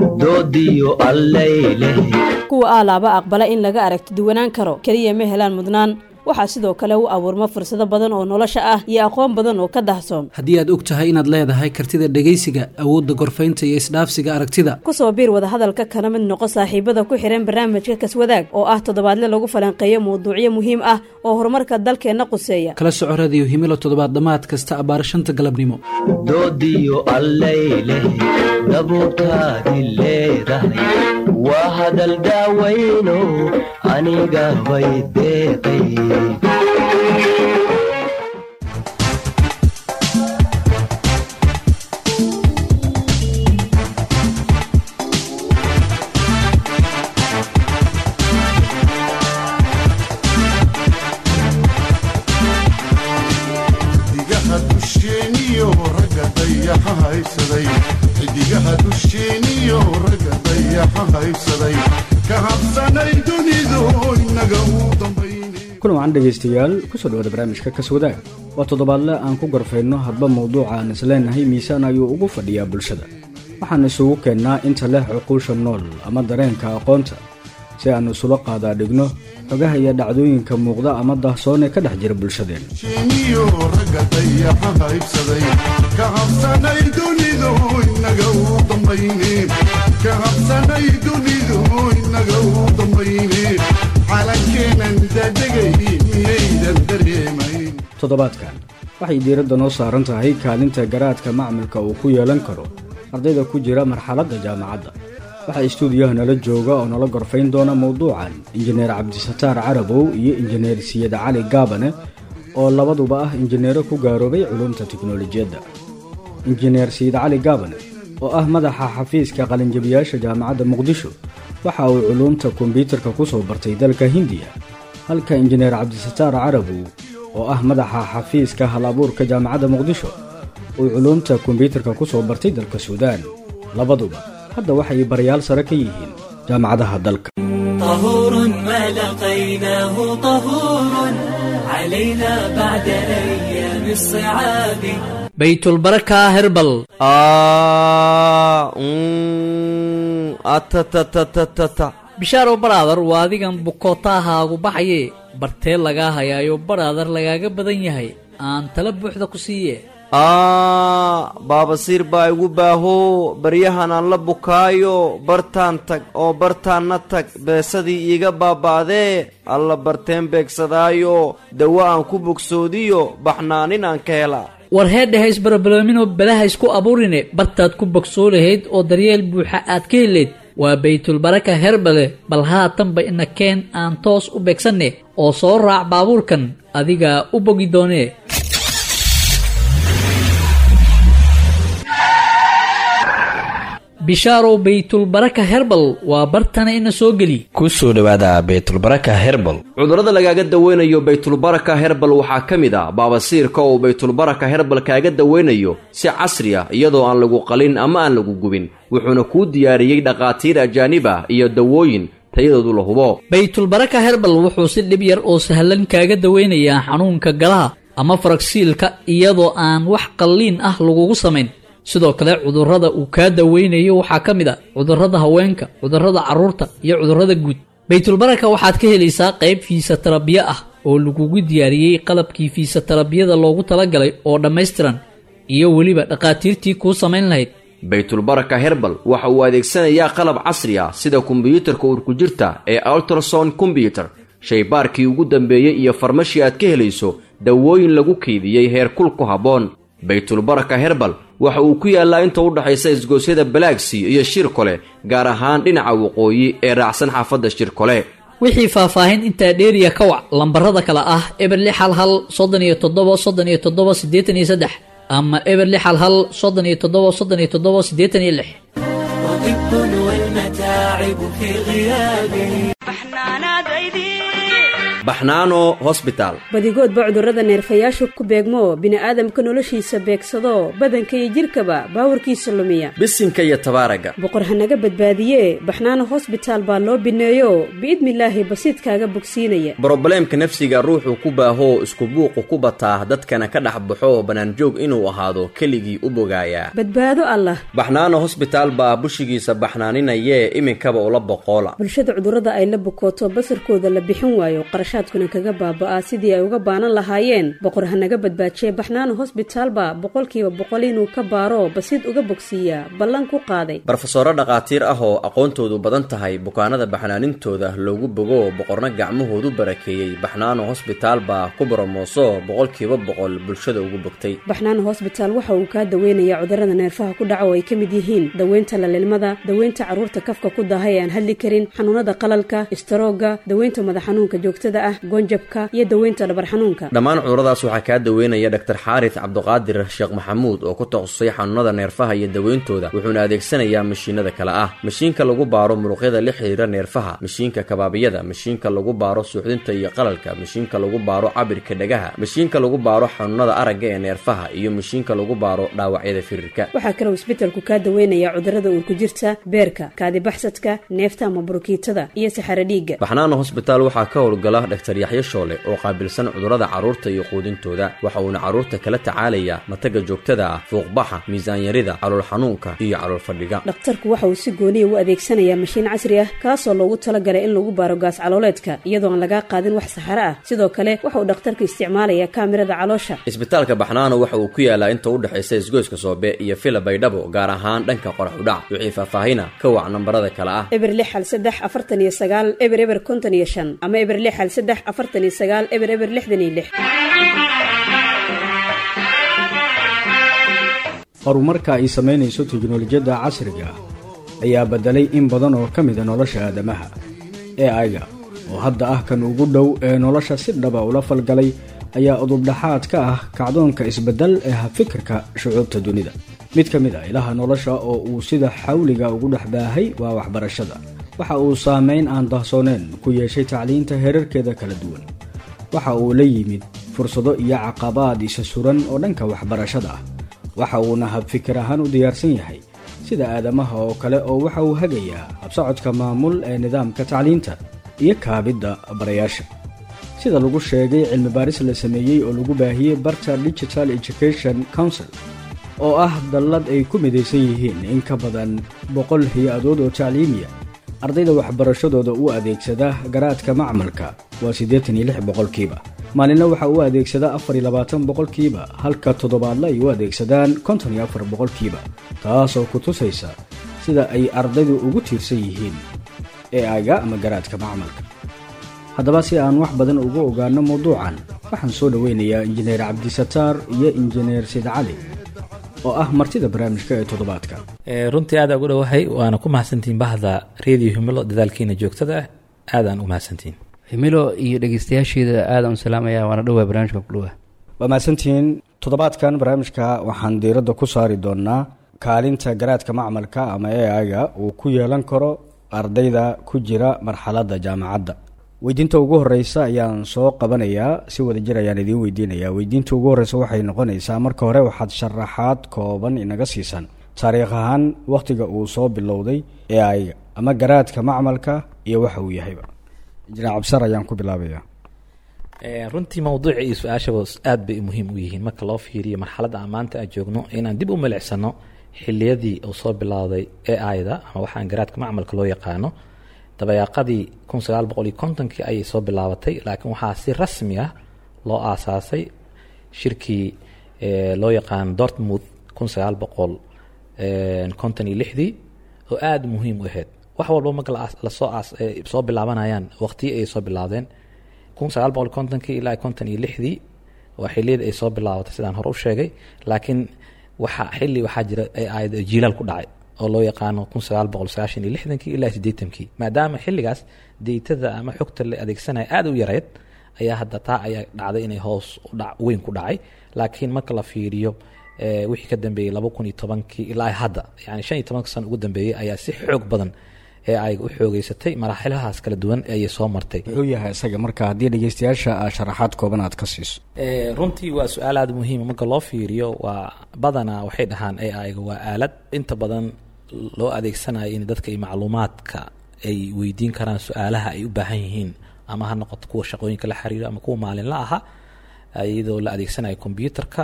Doodiyo allayleh. Kuwa aalaaba aqbala in laga aragti duwanaan karo keliya ma helaan mudnaan, waxaa sidoo kale u abuurma fursado badan oo nolosha ah iyo aqoon badan oo ka dahsoon. Haddii aad og tahay inaad leedahay kartida dhegaysiga, awoodda gorfaynta iyo isdhaafsiga aragtida, kusoo biir wadahadalka kana mid noqo saaxiibada ku xihan barnaamijka Kaswadaag oo ah toddobaadle lagu falanqeeyo mawduucyo muhiim ah oo horumarka dalkeenna quseeya. Kala soco Radiyo Himilo toddobaad dhammaad kasta abbaar 5ta galabnimo. Doodiyo allayleh, dabuurtaadi leedahay waa hadal daawayno aniga bay deeqay. Xidigaha dusheeniyo ragga dayaxa haybsaday, xidigaha dusheeniyo ragga dayaxa haybsaday, ka habsanay dunidu inaga u dambayne. Kulan wacan dhegaystayaal, kusoo dhawaada barnaamijka Kaswadaag. Waa toddobaadle aan ku gorfayno hadba mowduuca aan isleenahay miisaan ayuu ugu fadhiyaa bulshada. Waxaan isugu keennaa inta leh cuquusha nool ama dareenka aqoonta si aan isula qaadaa dhigno xogaha iyo dhacdooyinka muuqda ama dahsoon ee ka dhex jira bulshadeenna. Dusheeniyo ragga dayaxa haybsaday, ka habsanay dunidu inaga u dambayne, ka habsanay dunidu inaga u dambayne, calankeenan dadegay miyaydan dareemayn? Toddobaadkan waxay diiradda noo saaran tahay kaalinta garaadka macmilka uu ku yeelan karo ardayda ku jira marxaladda jaamacadda. Waxaa istuudiyaha nala jooga oo nala gorfayn doona mowduucan Injineer Cabdisataar Carabow iyo Injineer Siyad Cali Gaabane oo labaduba ah injineero ku gaaroobay culuumta tiknolojiyadda. Injineer Siyid Cali Gaabane oo ah madaxa xafiiska qalinjabiyaasha Jaamacadda Muqdisho waxa uu culuumta kombyuutarka ku soo bartay dalka Hindiya, halka Injineer Cabdisataar Carabow oo ah madaxa xafiiska hal abuurka Jaamacadda Muqdisho uu culuumta kombyuutarka ku soo bartay dalka Suudaan. Labaduba hadda waxay barayaal sare ka yihiin jaamacadaha dalka. طهور ما لقيناه طهور علينا بعد أيام الصعاب. Baytulbaraka Herbal. Bishaaro baraadar, waa adigan bukootahaagu baxaye bartee lagaa hayaayo baraadar lagaaga badan yahay, aan tala buuxda ku siiye. Aa, baabasiir baa igu baaho baryahan aan la bukaayo, bartaan tag oo bartaanna tag, beesadii iiga baaba'dee alla barteen beegsadaayo, dawo aan ku bogsoodiyo baxnaanin aan ka helaa. War heedhe, isbarabaloominoo balaha isku abuurine, bartaad ku bogsoo lahayd oo daryeel buuxa aad ka helayd waa Baytulbaraka Herbale. Bal haatanba ina keen aan toos u beegsanne oo soo raac baabuurkan, adigaa u bogi doonee. Bishaarow, Baytulbaraka Herbal waa bartana, ina soo geli. Ku soo dhowaada Baytulbaraka Herbal. Cudurrada lagaaga daweynayo Baytulbaraka Herbal waxaa ka mid ah baabasiirka oo Baytulbaraka Herbal kaaga daweynayo si casri ah iyadoo aan lagu qalin ama aan lagu gubin, wuxuuna kuu diyaariyey dhakhaatiir ajaanib ah iyo dawooyin tayadoodu la hubo. Baytulbaraka Herbal wuxuu si dhib yar oo sahlan kaaga daweynayaa xanuunka galaha ama faragsiilka iyadoo aan wax qalliin ah lagugu samayn. Sidoo kale cudurrada uu kaa daweynayo waxaa ka mid a cudurrada haweenka, cudurrada carruurta iyo cudurrada guud. Baytulbaraka waxaad ka helaysaa qayb fiisatarabiya ah oo lagugu diyaariyey qalabkii fiisatarabiyada loogu talagalay oo dhammaystiran iyo weliba dhakhaatiirtii kuu samayn lahayd. Baytulbaraka Herbal waxa uu adeegsanayaa qalab casri ah sida kombiyuutarka urku-jirta ee ultrason combyuter, shaybaarkii ugu dambeeyey iyo farmashi aad ka helayso dawooyin lagu keydiyey heerkul ku habboon. Baytulbaraka Herbal waxa uu ku yaallaa inta u dhaxaysa isgoosyada Balaagsi iyo Shirkole, gaar ahaan dhinaca waqooyi ee raacsan xaafadda Shirkole. Wixii faahfaahin intaa dheeriya ka wac lambarada kale ah 0611 37 37 83 ama 0611 37 37 86. وطب والمتاعب في غيابه. Baxnaano Hosbitaal. Badigoodba cudurrada neerfayaashu ku beegmo, bini'aadamka noloshiisa beegsado, badanka iyo jidhkaba baawarkiisa lumiya. Bisinka iyo tabaaraga. Boqor hanaga badbaadiye, Baxnaano Hosbitaal baa loo bineeyo, biidnilaahi basiidkaaga bogsiinaya. Brobleemka nafsiga ruuxuu ku baahoo, isku buuqu ku bataa, dadkana ka dhex baxo, bannaanjoog inuu ahaado keligii u bogaayaa. Badbaado Allah. Baxnaano Hosbitaal baa bushigiisa baxnaaninayee, iminkaba ula boqoola. Bulshada cudurrada ay la bukooto, basarkooda la bixin waayo, qarashaadkuna kaga baaba'aa sidii ay uga baanan lahaayeen, boqor hanaga badbaajiye, Baxnaano Hosbitaal baa 100% inuu ka baaro, basiid uga bogsiiyaa ballan ku qaaday. Barofesoro dhakhaatiir ah oo aqoontoodu badan tahay, bukaanada baxnaanintooda loogu bogo, boqorna gacmahoodu barakeeyey, Baxnaano Hosbitaal baa ku boromooso, 100% bulshada ugu bogtay. Baxnaano Hosbitaal waxa uu kaa daweynayaa cudurrada neerfaha ku dhaca oo ay ka mid yihiin daweynta lalilmada, daweynta carruurta kafka ku daahay ee aan hadli karin, xanuunada qalalka, istaroogga, daweynta madax xanuunka joogtada ah, goonjabka iyo daweynta dhabar xanuunka. Dhammaan cuduradaas waxaa kaa daweynaya Dhaktar Xaaris Cabduqaadir Sheekh Maxamuud oo ku takhasusay xanuunada neerfaha iyo daweyntooda, wuxuuna adeegsanayaa mashiinada kale ah: mashiinka lagu baaro muruqyada la xiriira neerfaha, mashiinka kabaabiyada, mashiinka lagu baaro suuxdinta iyo qalalka, mashiinka lagu baaro cabirka dhagaha, mashiinka lagu baaro xanuunada aragga ee neerfaha iyo mashiinka lagu baaro dhaawacyada firirka. Waxaa kaloo isbetelku kaa daweynayaa cudurrada uurku jirta, beerka, kaadibaxsadka, neefta ama burukiitada iyo saxaro dhiigga. Baxnaano Hosbitaal waxaa ka howlgala Dhaktar Yaxyo Shoole oo qaabilsan cudurrada carruurta iyo quudintooda. Waxa uuna carruurta kala tacaalayaa mataga joogtada ah, fuuqbaxa, miisaanyarida, calool xanuunka iyo calool fadhiga. Dhakhtarku waxa uu si gooniya u adeegsanayaa mashiin casri ah, kaasoo loogu talagalay in lagu baaro gaas calooleedka, iyadoo aan lagaa qaadin wax saxaro ah. Sidoo kale waxa uu dhakhtarku isticmaalayaa kaamirada caloosha. Isbitaalka Baxnaano waxa uu ku yaalaa inta u dhexaysa isgoyska Soobe iyo Fila Baydhabo, gaar ahaan dhanka qorax udhac. Wixii faahfaahina ka wac nambarada kale ah: 0613490055 ama 0613490066. Horumarka ay samaynayso teknolojiyadda casriga ah ayaa beddelay in badan oo ka mida nolosha aadamaha. AI-ga oo hadda ah kan ugu dhow ee nolosha si dhaba ula falgalay ayaa udubdhaxaad ka ah kacdoonka isbeddel ee habfikirka shucuubta dunida. Mid ka mid a ilaha nolosha oo uu sida xawliga ugu dhex baahay waa waxbarashada. Waxa uu saameyn aan dahsooneen ku yeeshay tacliinta heerarkeeda kala duwan. Waxa uu la yimid fursado iyo caqabaad isa suran oo dhanka waxbarashada ah. Waxa uuna habfikir ahaan u diyaarsan yahay sida aadamaha oo kale, oo waxa uu hagayaa habsocodka maamul ee nidaamka tacliinta iyo kaabidda barayaasha. Sida lagu sheegay cilmi baaris la sameeyey oo lagu baahiyey barta Digital Education Council, oo ah dallad ay ku midaysan yihiin in ka badan 100 hay-adood oo tacliimiya, ardayda waxbarashadooda u adeegsada garaadka macmalka waa 86%. Maalinna waxa uu adeegsada 24%, halka toddobaadla ay u adeegsadaan 54%, taasoo ku tusaysa sida ay ardaydu ugu tiirsan yihiin AI-ga ama garaadka macmalka. Haddaba, si aan wax badan ugu ogaano mawduucan, waxaan soo dhoweynayaa Injineer Cabdisataar iyo Injineer Sid Cali oo ah martida barnaamijka ee toddobaadka. Runtii aada ugu dhowahay, waana ku mahadsantihiin bahda Radio Himilo dadaalkiina joogtada ah, aadaan u mahadsantihiin. Himilo iyo dhegeystayaasheeda aadaan u salaamaya, waana dhowaa barnaamijka ku dhowaa. Waa mahadsantihiin. Toddobaadkan barnaamijka waxaan diiradda ku saari doonaa kaalinta garaadka macmalka ama AI-ga uu ku yeelan karo ardayda ku jira marxaladda jaamacadda. Weydiinta ugu horeysa ayaan soo qabanayaa, si wadajir ayaan idiin weydiinayaa. Weydiinta ugu horeysa waxay noqonaysaa: marka hore waxaad sharaxaad kooban inaga siisan taariikh ahaan wakhtiga uu soo bilowday AI-ga ama garaadka macmalka iyo waxa uu yahayba. Injineer Cabsar ayaan ku bilaabaya. Runtii mawduuca iyo su-aashaba aad bay muhiim u yihiin marka loo fiiriyo marxaladda aan maanta aan joogno, inaan dib u milicsano xiliyadii uu soo bilowday AI-da ama waxaan garaadka macmalka loo yaqaano. Dabayaaqadii 1950-kii ayay soo bilaabatay, laakiin waxaa si rasmi ah loo aasaasay shirkii loo yaqaano Dortmund 1956-dii, oo aada muhiim u ahayd. Wax walba marka lasoo soo bilaabanayaan waqtiyi ayay soo bilaabdeen. 1950-kii ilaa 56-dii waa xiliyada ay soo bilaabatay, sidaan hore u sheegay. Laakiin waxa xilli waxaa jira ay jiilaal ku dhacay oo loo yaqaano 1960-kii ilaa 80-kii, maadaama xilligaas data-da ama xogta la adeegsanaya aada u yareyd, ayaa hadda taa ayaa dhacday inay hoos udhac weyn ku dhacay. Laakiin marka la fiiriyo wixii ka dambeeyey 2010-kii ilaa hadda, yani 15-ka sano ugu dambeeyey, ayaa si xoog badan AI u xoogeysatay. Maraaxilahaas kala duwan ayay soo martay. Muxuu yahay isaga marka, haddii dhegeystayaasha sharaxaad kooban aad ka siiso? Runtii waa su-aal aada muhiima. Marka loo fiiriyo, waa badanaa waxay dhahaan AI-ga waa aalad inta badan loo adeegsanayo in dadka iyo macluumaadka ay weydiin karaan su-aalaha ay u baahan yihiin, ama ha noqoto kuwa shaqooyinka la xiriiro ama kuwa maalinla aha, iyadoo la adeegsanayo computerka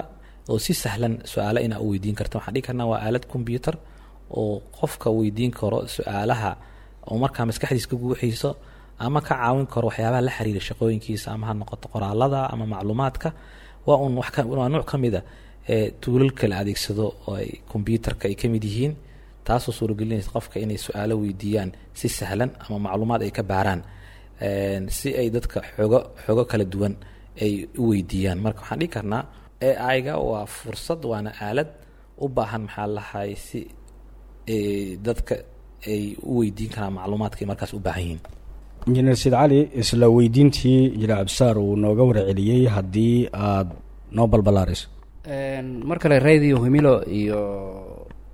oo si sahlan su-aalo inaa u weydiin karta. Waxaan dhihi karnaa waa aalad computer oo qofka weydiin karo su-aalaha oo markaa maskaxdiisa ka guuxiiso ama ka caawin karo waxyaabaha la xiriira shaqooyinkiisa, ama ha noqoto qoraalada ama macluumaadka. Waa un wax waa nuuc ka mid a ee tuulalka la adeegsado oo ay computerka ay ka mid yihiin, taasoo suuragelinaysa qofka inay su-aalo weydiiyaan si sahlan ama macluumaad ay ka baaraan, si ay dadka xogo kala duwan ay u weydiiyaan. Marka waxaan dhihi karnaa AI-ga waa fursad, waana aalad u baahan, maxaa lahay, si dadka ay u weydiin karaan macluumaadka ay markaas u baahan yihiin. Injineer Said Cali, isla weydiintii injineer Cabdisaar uu nooga warceliyey haddii aad noo balbalaarayso. Mar kale Radio Himilo iyo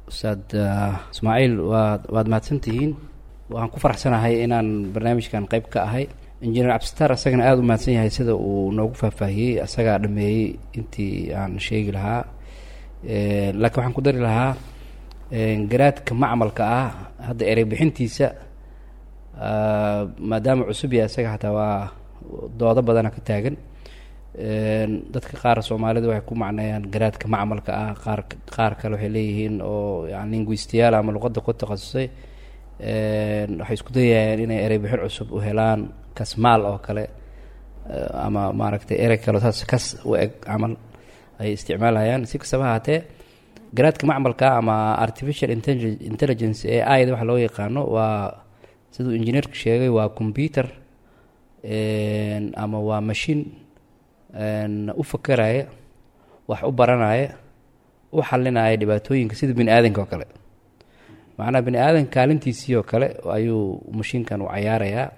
Ustaad Ismaaciil, waad mahadsantihiin. Waxaan ku faraxsanahay inaan barnaamijkan qayb ka ahay. Injineer Cabdisataar asagana aada u mahadsan yahay sida uu noogu faahfaahiyey, asagaa dhameeyey intii aan sheegi lahaa, laakiin waxaan ku dari lahaa garaadka macmalka ah hadda erey bixintiisa, maadaama cusub yahay isaga, xataa waa doodo badana ka taagan. Dadka qaar Soomaalida waxay ku macneeyaan garaadka macmalka ah, qaar kale waxay leeyihiin oo yani linguistiyaal ama luqadda ku takhasusay waxay isku dayayaan inay erey bixin cusub u helaan, kasmaal oo kale ama maaragtay erey kale saas kas u eg camal ay isticmaalayaan. Si kastaba ahaatee, garaadka macmalka ama artificial intelligence, AI da waxa loo yaqaano, waa siduu injineerku sheegay, waa computer ama waa machine u fakeraya, wax u baranaya, u xalinaya dhibaatooyinka sida bini aadanka oo kale. Macnaha bini aadanka kaalintiisii oo kale ayuu mashiinkan u cayaarayaa.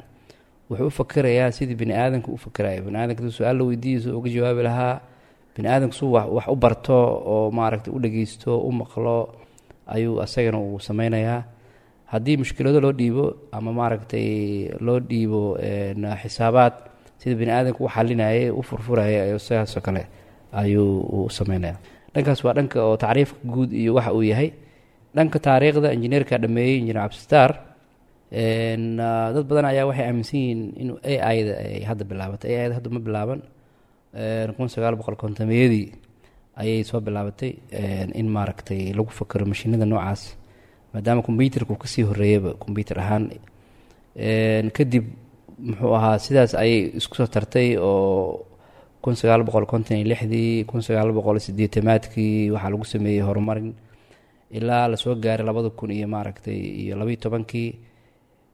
Wuxuu u fakerayaa sidii bini aadanka u fakeraya. Bini aadanka haduu su-aal la weydiiyo suu uga jawaabi lahaa, bini aadanku suu wax u barto oo maaragtay u dhegeysto, u maqlo, ayuu asagana uu sameynayaa. Haddii mushkilado loo dhiibo ama maaragtay loo dhiibo xisaabaad, sida bini aadanka u xalinayay, u furfurayay, ayuu sidaasoo kale ayuu u sameynaya. Dhankaas waa dhanka oo tacriifka guud iyo waxa uu yahay. Dhanka taariikhda injineerka dhameeyey, injineer Cabdisataar. Dad badan ayaa waxay aaminsan yihiin inuu AI da ay hadda bilaabatay. AI da hadda ma bilaaban. 1950-meyadii ayay soo bilaabatay in maaragtay lagu fakero mashiinada noocaas, maadaama computerka uu kasii horeeyaba computer ahaan. Kadib muxuu ahaa, sidaas ayay isku soo tartay oo 1956dii, 1980-aadkii waxaa lagu sameeyey horumarin ilaa lasoo gaaray 2000 iyo maaragtay iyo 12-kii,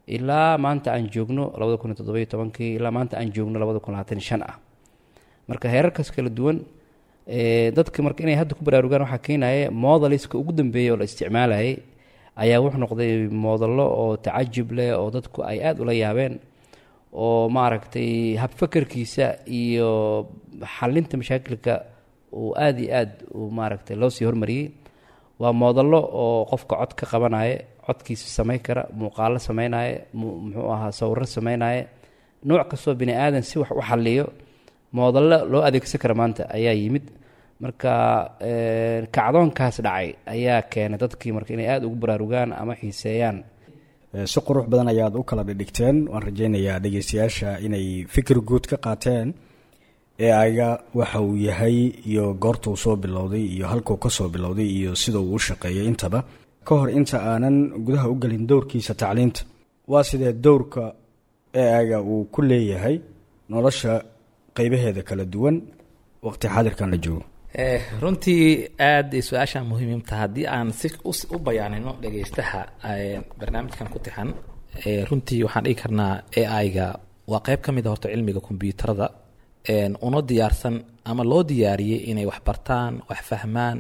ilaa maanta aan joogno 2017-kii, ilaa maanta aan joogno 2025 ah. Marka heerarkaas kala duwan dadka marka inay hadda ku baraarugaan waxaa keenaya modeliska ugu dambeeyay oo la isticmaalayay ayaa wuxuu noqday modello oo tacajub leh oo dadku ay aada ula yaabeen, oo maaragtay habfakerkiisa iyo xalinta mashaakilka uu aada iyo aad uu maaragtay loo sii hormariyey. Waa modello oo qofka cod ka qabanaya, codkiisa samayn kara, muuqaalo sameynaya, muxuu ahaa, sawiro sameynaya, nooc kastoo bini aadan si wax u xaliyo modello loo adeegsan kara maanta ayaa yimid. Marka kacdoonkaas dhacay ayaa keenay dadkii marka inay aada ugu baraarugaan ama xiiseeyaan. Si qurux badan ayaad u kala dhidhigteen. Waan rajaynayaa dhegeystayaasha inay fikir guud ka qaateen AI-ga waxa uu yahay iyo goorta uu soo bilowday iyo halkuu ka soo bilowday iyo sida uu u shaqeeyay intaba. Ka hor inta aanan gudaha u gelin dowrkiisa tacliinta, waa sidee dowrka AI-ga uu ku leeyahay nolosha qeybaheeda kala duwan waqti xaadirkan la joogo? Runtii aad ay su-aashaan muhiim tahay. Haddii aan si u bayaanino dhegeystaha barnaamijkan ku tixan, runtii waxaan dhigi karnaa AI-ga waa qeyb ka mid a horta cilmiga kombyuutarada, una diyaarsan ama loo diyaariyey inay wax bartaan, wax fahmaan,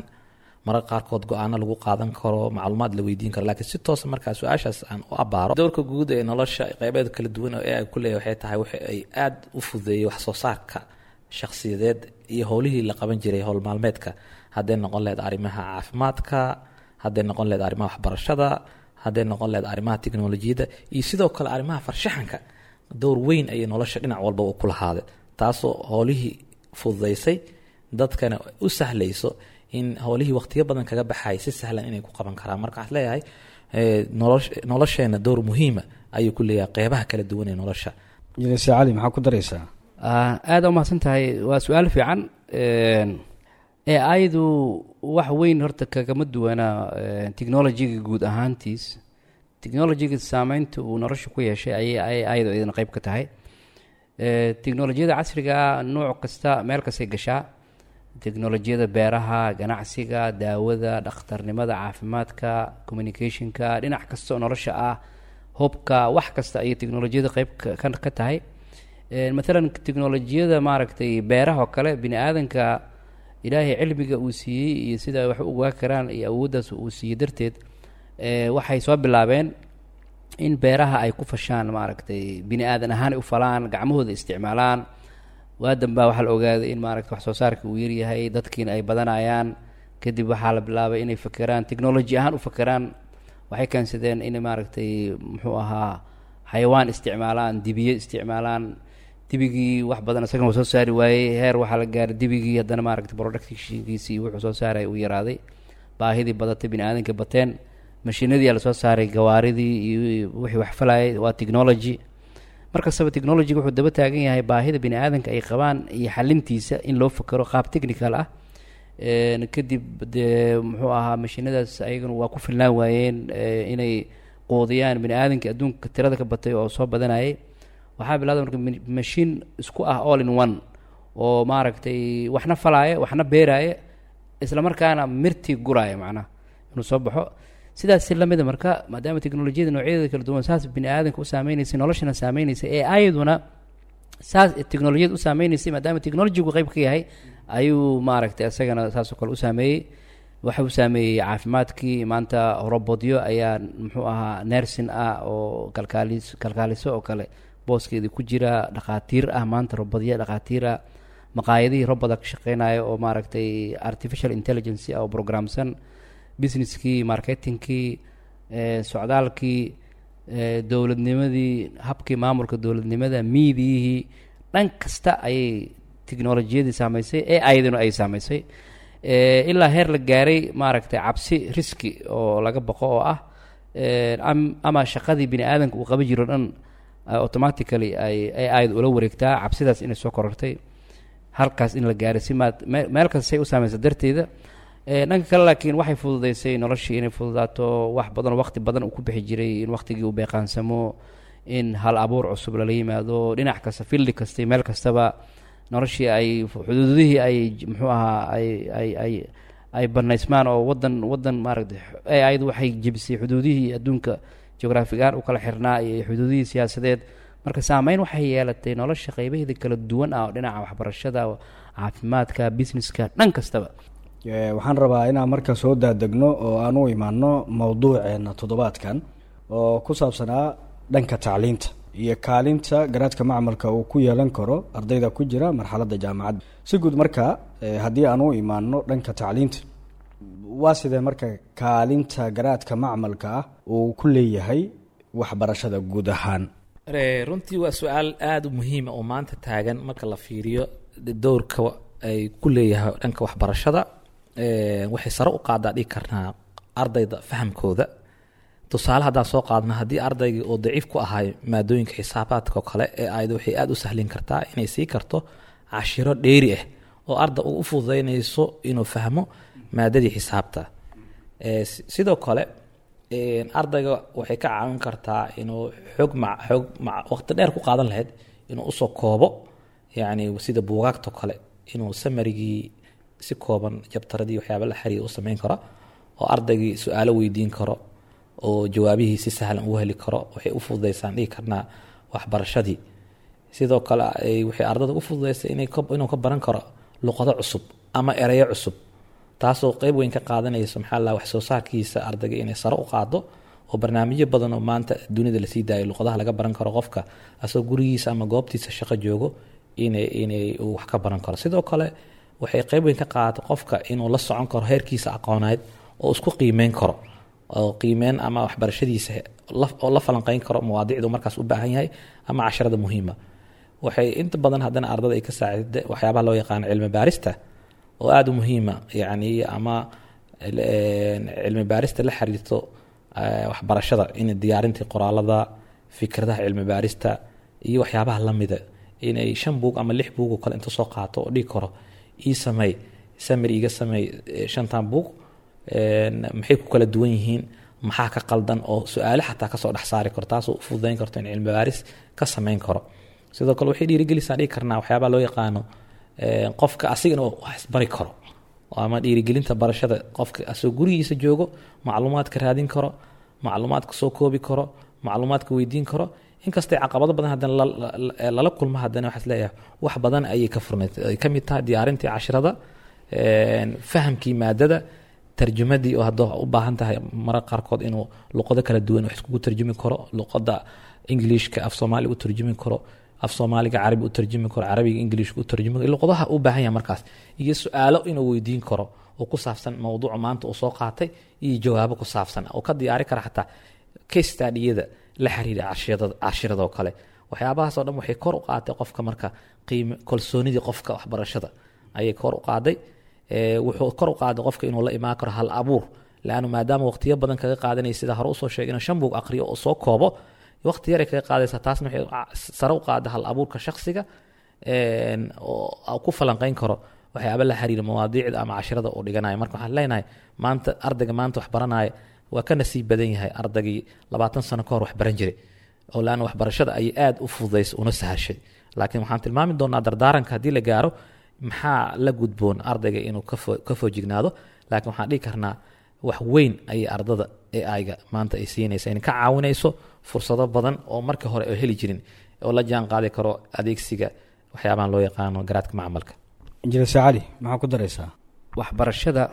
mararka qaarkood go-aano lagu qaadan karo, macluumaad la weydiin karo. Laakiin si toosa markaa su-aashaas aan u abaaro, dowrka guud ee nolosha qeybeeda kala duwan oo AI ku leeyahay waxay tahay waxa ay aada u fududeeyey wax soo saarka shakhsiyadeed iyo howlihii la qaban jiray howl maalmeedka, hadday noqon lahayd arrimaha caafimaadka, hadday noqon lahayd arrimaha waxbarashada, Hadday noqon lahayd arrimaha teknolojiyadda iyo sidoo kale arrimaha farshaxanka, door weyn ayay nolosha dhinac walba u ku lahaaday, taasoo howlihii fududaysay, dadkana u sahlayso in howlihii waqtiyo badan kaga baxay si sahlan inay ku qaban karaan. Marka waxaad leeyahay nolosheena door muhiima ayuu ku leeyahay qeybaha kala duwan ee nolosha. Injineer Cali, maxaa ku daraysaa? Aada umahadsan tahay, waa su-aal fiican. AI-du wax weyn horta kagama duwana technology-ga guud ahaantiis. Technology-ga saameynta uu nolosha ku yeeshay ayay AI-du iyadana qeyb ka tahay. Teknolojiyada casriga ah nooc kasta meel kastay gashaa: teknolojiyada beeraha, ganacsiga, daawada, dhakhtarnimada, caafimaadka, communication-ka, dhinac kasta oo nolosha ah, hubka, wax kasta ayay teknolojiyada qeyb ka tahay. Maalan teknolojiyada maaragtay beeraha oo kale, bini aadanka Ilaahay cilmiga uu siiyey iyo sida ay wax u ogaa karaan iyo awooddaas uu siiyey darteed, waxay soo bilaabeen in beeraha ay ku fashaan, maaragtay, bini aadan ahaan ay u falaan, gacmahooda isticmaalaan. Waa dambaa waxaa la ogaaday in maaragta wax soo saarka uu yaryahay, dadkiina ay badanayaan. Kadib waxaa la bilaabay inay fakeraan, technology ahaan u fakeraan. Waxay keensadeen inay maaragtay muxuu ahaa xayawaan isticmaalaan, dibiye isticmaalaan. Dibigii wax badan isagana waa soo saari waayey. Heer waxaa la gaaray dibigii haddana maaragtay productionkiisii wuxuu soo saaray uu yaraaday, baahidii badatay, bini aadanka bateen. Mashiinadii aa lasoo saaray, gawaaridii iyo wixii wax falayay, waa technology. Markastaba technology wuxuu daba taagan yahay baahida bini aadanka ay qabaan iyo xalintiisa in loo fakero qaab technical ah. Kadib dee muxuu ahaa mashiinadaas ayaguna waa ku filnaan waayeen inay quudiyaan bini aadamka adduunka tirada ka batay oo soo badanayay. Waxaa bilowday marka mashiin isku ah all in one oo maaragtay waxna falaaya, waxna beeraaya, isla markaana mirtii guraaya, macnaha inuu soo baxo. Sidaas si lamida marka, maadaama teknolojiyada noocyadeeda kala duwan saas bini aadamka u saameynaysay, noloshana saameynaysay, ee ayaduna saas teknolojiyada u saameynaysay, maadaama technology-gu qayb ka yahay, ayuu maaragtay isagana saasoo kale u saameeyey. Waxa uu saameeyey caafimaadkii. Maanta robotyo ayaa muxuu ahaa nursing ah oo kalkaalis, kalkaaliso oo kale booskeedii ku jira, dhakhaatiir ah. Maanta robotyo dhakhaatiir ah, maqaayadihii roboda ka shaqeynaya oo maaragtay artificial intelligence ah oo programsan, business-kii, marketing-kii, socdaalkii, dowladnimadii, habkii maamulka dowladnimada, miidiyihii, dhan kasta ayay teknolojiyadii saameysay ee ayaduna ay saameysay. Ilaa heer la gaaray maaragtay cabsi risk oo laga baqo oo ah ama shaqadii bini aadamka uu qaban jiro dhan automatically ay AI-da ula wareegtaa. Cabsidaas inay soo korortay, halkaas in la gaaray si maad meel kasta say u saameysa darteeda. Dhanka kale laakiin waxay fududeysay noloshii inay fududaato. Wax badan oo waqti badan uu ku bixi jiray in waqtigii uu beeqaansamo, in hal abuur cusub lala yimaado, dhinac kasta, field kasta iyo meel kastaba noloshii ay xuduudihii ay muxuu ahaa ay banaysmaan oo wadan maaragtay AI-du waxay jebisay xuduudihii adduunka geographic ahaan u kala xirnaa iyo xuduudihii siyaasadeed. Marka saameyn waxay yeelatay nolosha qeybaheeda kala duwan ah oo dhinaca waxbarashada, caafimaadka, business-ka, dhan kastaba. Waxaan rabaa inaan marka soo daadegno oo aan u imaano mowduuceena toddobaadkan oo ku saabsanaa dhanka tacliinta iyo kaalinta garaadka macmalka uu ku yeelan karo ardayda ku jira marxaladda jaamacadda. Si guud marka haddii aan u imaano dhanka tacliinta, waa sidee marka kaalinta garaadka macmalka ah uu ku leeyahay waxbarashada guud ahaan? Runtii waa su-aal aada u muhiima oo maanta taagan. Marka la fiiriyo dowrka ay ku leeyahay dhanka waxbarashada, waxay sare u qaadaa dhigi karnaa ardayda fahamkooda. Tusaale haddaan soo qaadno, haddii ardaygii oo daciif ku ahay maadooyinka xisaabaadka oo kale, ee ayada waxay aada u sahlin kartaa inay sii karto cashiro dheeri ah oo arda u fududeynayso inuu fahmo maadadii xisaabta. Sidoo kale ardayga waxay ka caawin kartaa inuu xoog waqti dheer ku qaadan lahayd inuu usoo koobo, yacni sida buugaagta oo kale, inuu summary-gii si kooban chapter-adii waxyaaba la xiriira u sameyn karo oo ardaygii su-aalo weydiin karo oo jawaabihii si sahlan ugu heli karo. Waxay u fududeysaan dhihi karnaa waxbarashadii. Sidoo kale waxay ardada u fududeysay inuu ka baran karo luqado cusub ama ereyo cusub, taasoo qeyb weyn ka qaadanayso maxaa la wax soo saarkiisa ardayga inay sare u qaado, oo barnaamijyo badan oo maanta dunida lasii daayo luqadaha laga baran karo, qofka asagoo gurigiisa ama goobtiisa shaqo joogo inay uu wax ka baran karo. Sidoo kale waxay qeyb weyn ka qaadato qofka inuu la socon karo heerkiisa aqooneed oo isku qiimeyn karo. Oo qiimeyn ama waxbarashadiisa oo la falanqeyn karo mawaadiicdu markaas u baahan yahay ama casharada muhiima. Waxay inta badan haddana ardada ay ka saacida waxyaabaha loo yaqaano cilmi baarista oo aada u muhiima, yacni ama cilmi baarista la xiriirto waxbarashada, in diyaarintii qoraalada, fikradaha cilmi baarista iyo waxyaabaha lamida, inay shan buug ama lix buug oo kale inta soo qaato oo dhigi karo ii samey summary, iga samey shantan buug, maxay ku kala duwan yihiin, maxaa ka qaldan, oo su-aale xataa kasoo dhex saari karo, taasoo u fududeyn karto in cilmi baaris ka sameyn karo. Sidoo kale waxay dhiirigelisaa dhigi karnaa waxyaabaha loo yaqaano qofka asigana wax isbari karo ama dhiirigelinta barashada, qofka asagoo gurigiisa joogo macluumaadka raadin karo, macluumaadka soo koobi karo, macluumaadka weydiin karo. Inkastay caqabado badan haddana lala kulmo, haddana waxaa isleeyahay wax badan ayay ka furnayd, ay ka mid tahay diyaarintii cashirada, fahamkii maadada, tarjumadii oo hadda u baahan tahay mararka qaarkood inuu luqado kala duwan wax iskugu tarjumi karo, luqada Englishka af Soomaaliga u tarjumi karo, af Soomaaliga Carabi u tarjumi karo, Carabiga Englishka u tarjumi karo, luqadaha u baahan yahay markaas, iyo su-aalo inuu weydiin karo oo ku saabsan mawduuca maanta uu soo qaatay iyo jawaabo ku saabsan oo ka diyaari kara, xataa case study-yada la xiriira cashirada oo kale. Waxyaabahaas oo dhan waxay kor u qaatay qofka marka qiime kalsoonidii qofka waxbarashada ayay kor u qaaday. Wuxuu kor u qaaday qofka inuu la imaan karo hal abuur, laannu maadaama waqtiyo badan kaga qaadanaya, sida hore usoo sheegay, inuu shan buug aqriyo oo soo koobo waqti yaray kaga qaadaysa. Taasna waxay sare u qaada hal abuurka shakhsiga oo ku falanqeyn karo waxyaaba la xiriira mawaadiicda ama cashirada uu dhiganayo. Marka waxaan leenahay maanta ardayga maanta wax baranaya waa ka nasiib badan yahay ardaygii 20 sano ka hor wax baran jiray, oo laanna waxbarashada ayay aada u fududaysay una sahashay. Laakiin waxaan tilmaami doonaa dardaaranka haddii la gaaro maxaa la gudboon ardayga inuu ka foojignaado. Laakiin waxaan dhihi karnaa wax weyn ayay ardada AI-ga maanta ay siinaysa, in ka caawinayso fursado badan oo markii hore oo heli jirin, oo la jaan qaadi karo adeegsiga waxyaabahan loo yaqaano garaadka macmalka. Injineer Cali, maxaa ku daraysaa? Waxbarashada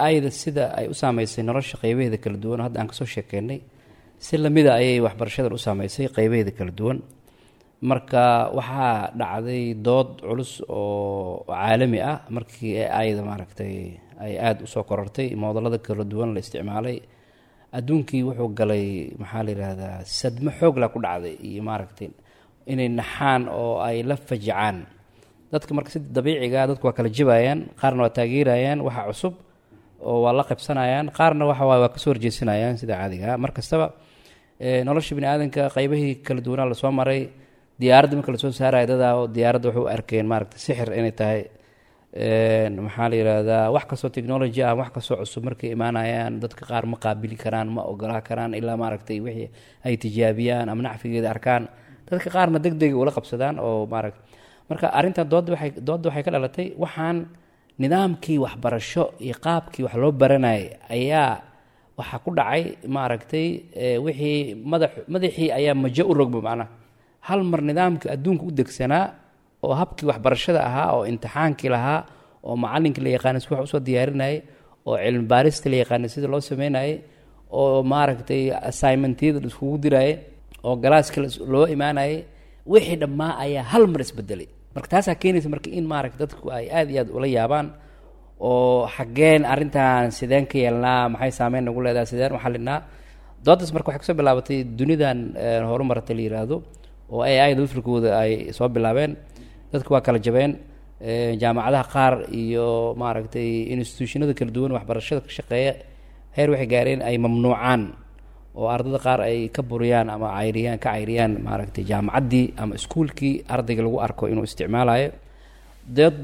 AI-da sida ay u saameysay nolosha qeybaheeda kala duwan oo hadda aan kasoo sheekeynay, si lamida ayay waxbarashadan u saameysay qeybaheeda kala duwan. Marka waxaa dhacday dood culus oo caalami ah markii AI-da maaragtay ay aada usoo korortay, moodalada kala duwan la isticmaalay. Adduunkii wuxuu galay, maxaa la yidhaahdaa, sadmo xoogla ku dhacday iyo maaragtay inay naxaan oo ay la fajacaan dadka. Marka sida dabiiciga dadku waa kala jabayaan, qaarna waa taageerayaan waxa cusub oo waa la qabsanayaan, qaarna waxa waay waa kasoo horjeesanayaan. Sida caadiga mar kastaba nolosha bini aadanka qaybahii kala duwanaa lasoo maray. Diyaaradda marka lasoo saaraya, dadaa oo diyaaradda waxay u arkeen maaragtay sixir inay tahay. Maxaa la yidhaahdaa, wax kastoo technology ah, wax kastoo cusub markay imaanayaan, dadka qaar ma qaabili karaan, ma ogolaa karaan ilaa maaragtay wixii ay tijaabiyaan ama nacfigeeda arkaan. Dadka qaarna deg dega ula qabsadaan oo maaragta. Marka arrintan doodda waxay ka dhalatay waxaan nidaamkii waxbarasho iyo qaabkii wax loo baranayay ayaa waxaa ku dhacay maaragtay wixii madaxii ayaa majo u rogma. Macnaha hal mar nidaamkii adduunka u degsanaa oo habkii waxbarashada ahaa oo imtixaankii lahaa oo macallinkii la yaqaanay si wax usoo diyaarinayay oo cilmi baarista la yaqaanay sida loo sameynayay oo maaragtay assignmentyada la iskugu dirayay oo galaaska loo imaanayay, wixii dhammaa ayaa hal mar isbedelay. Marka taasaa keenaysa marka in maaragta dadku ay aada iyo aad ula yaabaan oo xaggeen arrintan sideen ka yeelnaa, maxay saameyn nagu leedahay, sideen u xalinaa doodaas. Marka waxay kusoo bilaabatay dunidan horumartay la yiraahdo oo AI da lafirkooda ay soo bilaabeen. Dadku waa kala jabeen. Jaamacadaha qaar iyo maaragtay institutionada kala duwan waxbarashada ka shaqeeya heer waxay gaareen ay mamnuucaan oo ardada qaar ay ka buriyaan ama cayriyaan, ka cayriyaan maaragtay jaamacaddii ama iskuulkii ardayga lagu arko inuu isticmaalayo.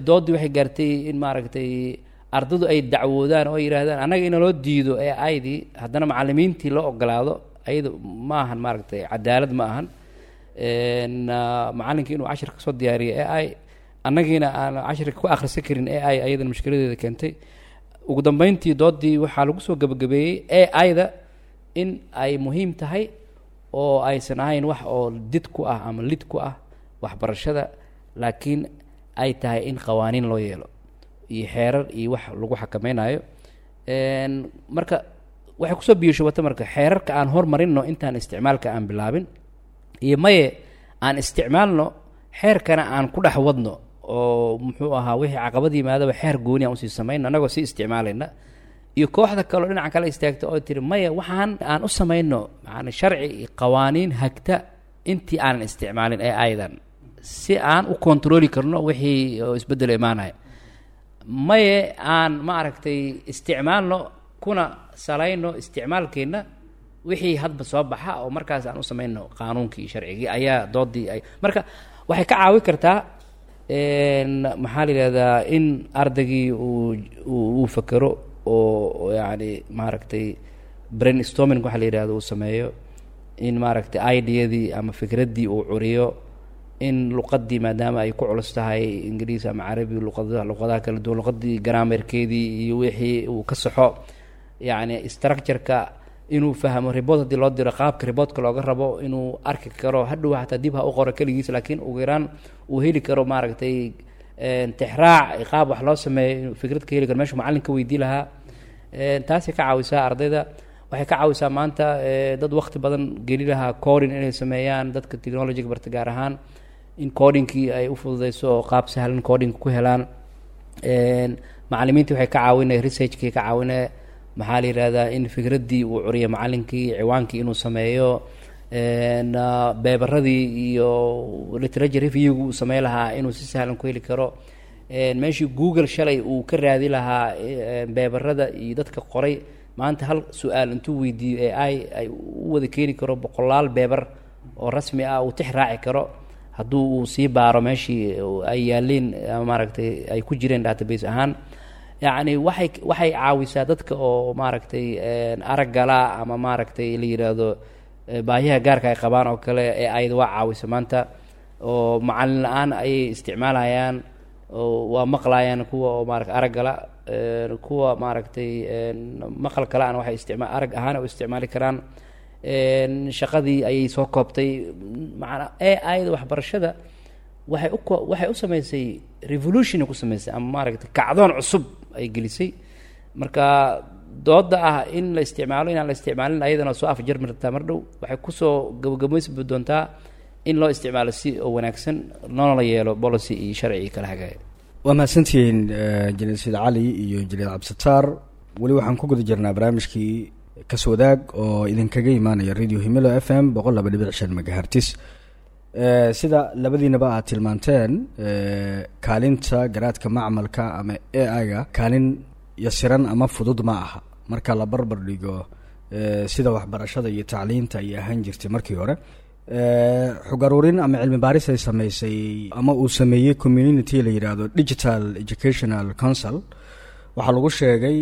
Doodii waxay gaartay in maaragtay ardadu ay dacwoodaan oo yidhaahdaan annaga in loo diido AI-dii, haddana macalimiintii loo ogolaado, ayada ma ahan maaragtay cadaalad ma ahan. Macallinkii inuu cashir kasoo diyaariyo AI, annagiina aan cashirka ku akhrisan karin AI, ayadana mushkiladeeda keentay. Ugu dambeyntii doodii waxaa lagu soo gabagabeeyey AI-da in ay muhiim tahay oo aysan ahayn wax oo did ku ah ama lid ku ah waxbarashada, laakiin ay tahay in qawaaniin loo yeelo iyo xeerar iyo wax lagu xakameynayo. Marka waxay kusoo biyashubata marka xeerarka aan hormarinno intaan isticmaalka aan bilaabin, iyo maye aan isticmaalno, xeerkana aan ku dhex wadno oo muxuu ahaa wixii caqabad yimaadaba xeer gooni aan usii samayno annagoo sii isticmaalayna. Iyo kooxda kaleo dhinaca kale istaagta oo tiri maya, waxaan aan u samayno maana sharci iyo qawaaniin hagta intii aanan isticmaalin ee aydan, si aan u kontrooli karno wixii oo isbeddelo imaanaya. Maye, aan ma aragtay isticmaalno kuna salayno isticmaalkeenna wixii hadba soo baxa, oo markaas aan u samayno qaanuunkii iyo sharcigii. Ayaa doodii ay marka waxay ka caawin kartaa, maxaa la yidhahdaa, in ardaygii uu fakero oo yacni maaragtay brainstorming waxa la yidhahdo uu sameeyo, in maaragtay ideadii ama fikraddii uu curiyo, in luqaddii maadaama ay ku culus tahay Ingiriis ama Carabi, luqadaha kala duwan, luqaddii grammarkeedii iyo wixii uu ka saxo, yacni structure-ka inuu fahmo, report haddii loo diro qaabka reportka looga rabo inuu arki karo, hadhow xataa dib ha u qoro keligiis, laakiin ugu yaraan uu heli karo maaragtay tixraac, qaab wax loo sameeyo, inuu fikrad ka heli karo meeshuu macallin ka weydii lahaa. Taasay ka caawisaa ardayda. Waxay ka caawisaa maanta dad waqti badan geli lahaa coding inay sameeyaan, dadka technologyga barta gaar ahaan, in codingkii ay u fududeyso oo qaab sahlan coding ku helaan. Macallimiintii waxay ka caawinaya, researchkii ka caawinaya, maxaa la yidhahdaa, in fikraddii uu curiyo macallinkii, ciwaankii inuu sameeyo, paperadii iyo literature reviewgu uu samey lahaa inuu si sahlan ku heli karo. Meeshii Google shalay uu ka raadi lahaa paperada iyo dadka qoray, maanta hal su-aal intuu weydiiyo ee ay u wada keeni karo boqolaal paper oo rasmi ah uu tix raaci karo, hadduu uu sii baaro meeshii ay yaaleen ama maaragtay ay ku jireen database ahaan. Yacni waxay caawisaa dadka oo maaragtay araggala ama maaragtay la yidhaahdo baahiyaha gaarka ay qabaan oo kale ee ayada waa caawisa maanta, oo macallin la-aan ayay isticmaalayaan oo waa maqlayaan kuwa oo maarata araggala, kuwa maaragtay maqal kale-ana waxay isticma arag ahaan u isticmaali karaan. Shaqadii ayay soo koobtay. Macanaa AI-da waxbarashada waxay u sameysay revolution ku sameysay ama maaragtay kacdoon cusub ay gelisay. Marka dooda ah in la isticmaalo, inaan la isticmaalin, ayadana soo afjarmi rabtaa mar dhow. Waxay kusoo gabagabaysbi doontaa in loo isticmaalo si oo wanaagsan, loona la yeelo policy iyo sharci iyo kala hagaaya. Waa mahadsantihiin injineer Sayid Cali iyo injineer Cabdisataar. Weli waxaan ku guda jirnaa barnaamijkii Kaswadaag oo idinkaga imaanaya Radio Himilo FM 102.5 megahertz. Sida labadiinaba aad tilmaanteen, kaalinta garaadka macmalka ama AI-ga kaalin yasiran ama fudud ma aha marka la barbar dhigo sida waxbarashada iyo tacliinta ay ahaan jirtay markii hore. Xog aruurin ama cilmi baaris ay sameysay ama uu sameeyey community la yidhaahdo Digital Educational Council waxaa lagu sheegay,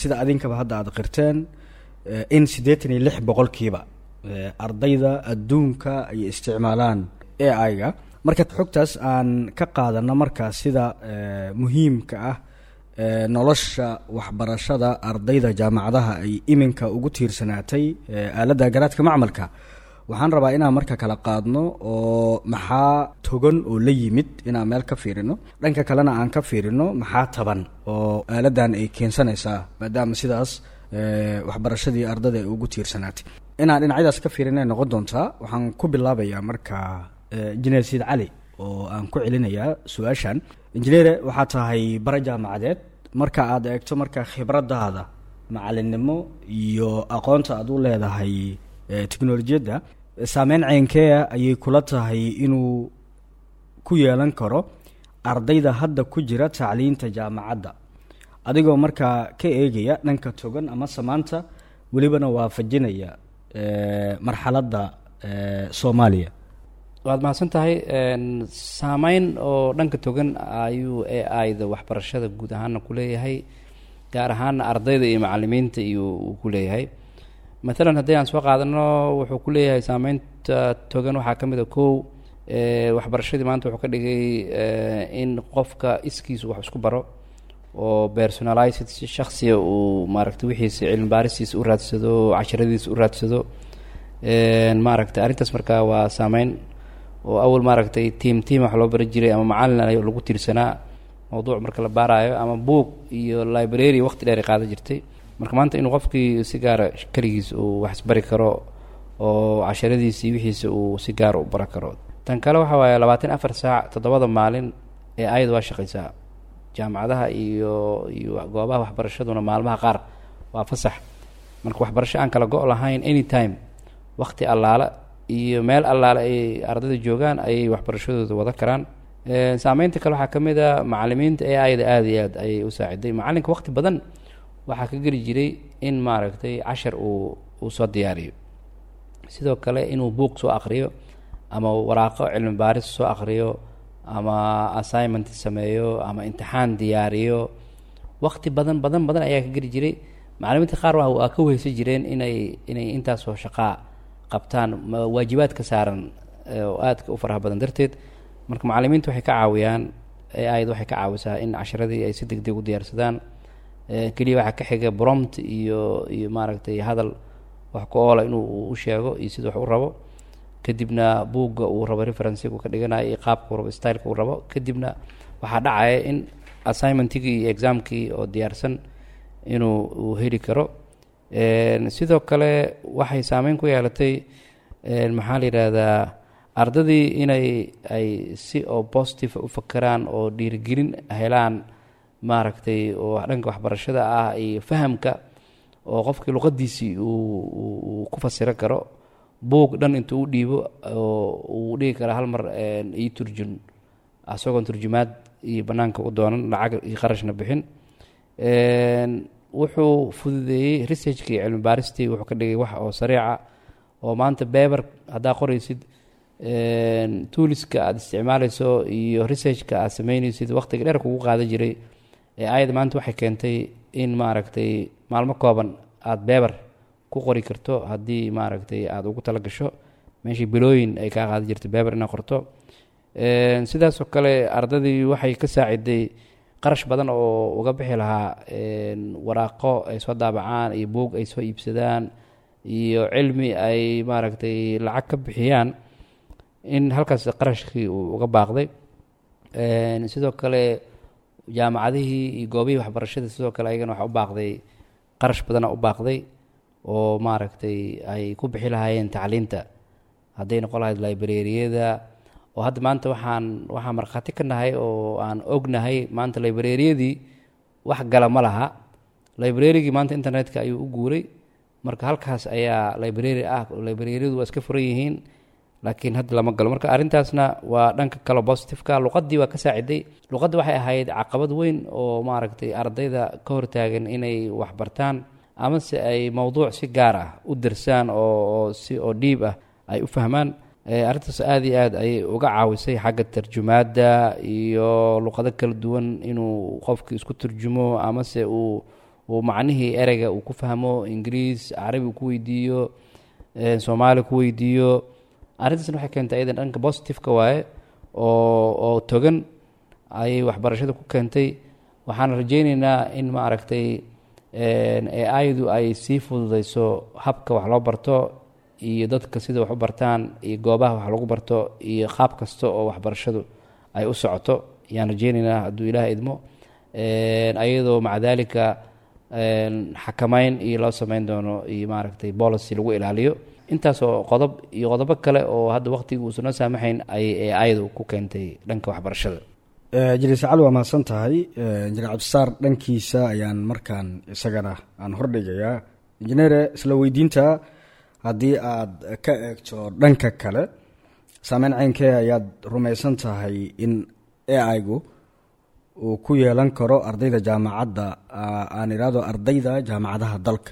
sida adinkaba hadda aada qirteen, in 86% ardayda adduunka ay isticmaalaan AI-ga. Marka xogtaas aan ka qaadano, markaa sida muhiimka ah nolosha waxbarashada ardayda jaamacadaha ay iminka ugu tiirsanaatay aaladda garaadka macmalka, waxaan rabaa inaan marka kala qaadno oo maxaa togan oo la yimid inaan meel ka fiirino, dhanka kalena aan ka fiirino maxaa taban oo aaladdan ay keensanaysaa, maadaama sidaas waxbarashadii ardada ay ugu tiirsanaatay. Inaan dhinacyadaas ka fiirina ay noqon doontaa. Waxaan ku bilaabayaa marka injineer Sayid Cali oo aan ku celinayaa su-aashan. Injineere, waxaa tahay bara jaamacadeed. Marka aad eegto marka khibradaada macalinimo iyo aqoonta aad u leedahay teknolojiyadda, saameyn ceenkeea ayay kula tahay inuu ku yeelan karo ardayda hadda ku jira tacliinta jaamacadda, adigoo markaa ka eegaya dhanka togan ama samaanta, welibana waafajinaya marxaladda Soomaaliya? Waad mahadsan tahay. Saameyn oo dhanka togan ayuu AI-da waxbarashada guud ahaana ku leeyahay, gaar ahaana ardayda iyo macalimiinta iyo uu ku leeyahay. Maalan haddii aan soo qaadano, wuxuu ku leeyahay saameynta togan waxaa ka mid a: kow, waxbarashadii maanta wuxuu ka dhigay in qofka iskiisu wax isku baro oo personalized, si shaksiya uu maaragtay wixiisa cilmi baaristiisa u raadsado, casharadiisa u raadsado maaragtay arrintaas. Marka waa saameyn oo awal maaragtay team team wax loo bari jiray ama macalin ay lagu tiirsanaa mawduuc marka la baaraayo, ama buug iyo library waqti dheer ay qaadan jirtay. Marka maanta inuu qofkii si gaara keligiis uu wax isbari karo oo casharadiisi wixiisa uu si gaara u baran karo. Tan kale waxa waaye 24 saac, 7da maalin ee ayada waa shaqaysaa. Jaamacadaha iyo goobaha waxbarashaduna maalmaha qaar Waa fasax. Marka waxbarasho aan kala go' lahayn, anytime, waqti allaale iyo meel allaale ay ardayda joogaan ayay waxbarashadooda wada karaan. Saameynta kale waxaa ka mid a macalimiinta AI-da aada iyo aad ayay u saaciday. Macalinka waqti badan waxaa ka geli jiray in maaragtay cashar uu soo diyaariyo, sidoo kale inuu buuq soo aqriyo ama waraaqo cilmi baaris soo aqriyo ama assignment sameeyo ama imtixaan diyaariyo. Waqti badan badan badan ayaa ka geli jiray. Macalimiinta qaar waa ka weheysan jireen inay intaasoo shaqaa qabtaan, waajibaadka saaran oo aadka u faraha badan darteed. Marka macalimiinta waxay ka caawiyaan, AI-da waxay ka caawisaa in casharadii ay si deg deg u diyaarsadaan. Keliya waxaa ka xiga prompt iyo maaragtay hadal wax ku oola inuu u sheego iyo sida wax u rabo, kadibna buugga uu rabo referencega ka dhiganayo iyo qaabka uu rabo, styleka uu rabo. Kadibna waxaa dhacaya in assignmentigii iyo examkii oo diyaarsan inuu uu heli karo. Sidoo kale waxay saameyn ku yeelatay, maxaa la yidhaahdaa, ardadii inay ay si oo positive u fakeraan oo dhiirigelin helaan, maaragtay, oo dhanka waxbarashada ah iyo fahamka, oo qofkii luqadiisii uu ku fasiran karo. Buug dhan intuu u dhiibo oo uu dhigi kara hal mar ii turjun, asagoon turjumaad iyo banaanka u doonan, lacag iyo qarashna bixin. Wuxuu fududeeyey researchkii iyo cilmi baaristii. Wuxuu ka dhigay wax oo sariica, oo maanta paper haddaa qoraysid, toolska aada isticmaaleyso iyo researchka aad sameyneysid waqtiga dheer kugu qaadan jiray, AI-da maanta waxay keentay in maaragtay maalmo kooban aada paper ku qori karto, haddii maaragtay aada ugu tala gasho, meeshii bilooyin ay kaa qaadan jirtay paper inaad qorto. Sidaasoo kale ardadii waxay ka saaciday qarash badan oo uga bixi lahaa waraaqo ay soo daabacaan iyo buug ay soo iibsadaan iyo cilmi ay maaragtay lacag ka bixiyaan, in halkaas qarashkii uu uga baaqday. Sidoo kale jaamacadihii iyo goobihii waxbarashada sidoo kale ayagana waxaa u baaqday qarash badana u baaqday oo maaragtay ay ku bixi lahaayeen tacliinta, hadday noqon lahayd librariyada, oo hadda maanta waxaan markhaati ka nahay oo aan ognahay maanta librariyadii wax gala ma laha. Librarygii maanta internetka ayuu u guuray. Marka halkaas ayaa library ah, librariyadu waa iska furan yihiin, laakiin hadda lama galo. Marka arrintaasna waa dhanka kale positiveka. Luqaddii waa ka saaciday. Luqadda waxay ahayd caqabad weyn oo maaragtay ardayda ka hortaagan inay wax bartaan amase ay mowduuc si gaar ah u dirsaan oo si oo dhiib ah ay u fahmaan. Arrintaas aada iyo aad ayay uga caawisay xagga tarjumaadda iyo luqado kala duwan inuu qofki isku turjumo amase uu macnihii ereyga uu ku fahmo, Ingiriis, Carabi uu ku weydiiyo, Soomaali ku weydiiyo. Arrintaasna waxay keentay ayadan dhanka positiveka waaye oo togan ayay waxbarashada ku keentay. Waxaan rajeyneynaa in maaragtay AI-du ay sii fududeyso habka wax loo barto iyo dadka sida wax u bartaan iyo goobaha wax lagu barto iyo qaab kasta oo waxbarashadu ay u socoto ayaan rajeyneynaa, hadduu Ilaah idmo, ayadoo maca daalika xakameyn iyo loo sameyn doono iyo maaragtay policy lagu ilaaliyo. Intaasoo qodob iyo qodobo kale oo hadda waqtiga uusan noo saamaxayn ayay AI-du ku keentay dhanka waxbarashada. Injineer Sacali, waa mahadsan tahay. Injineer Cabdisaar dhankiisa ayaan markaan isagana aan hordhigayaa. Injineere, isla weydiinta, haddii aad ka eegto dhanka kale, saameyn ceynkee ayaad rumaysan tahay in AI-gu uu ku yeelan karo ardayda jaamacadda, aan idhaahdo ardayda jaamacadaha dalka?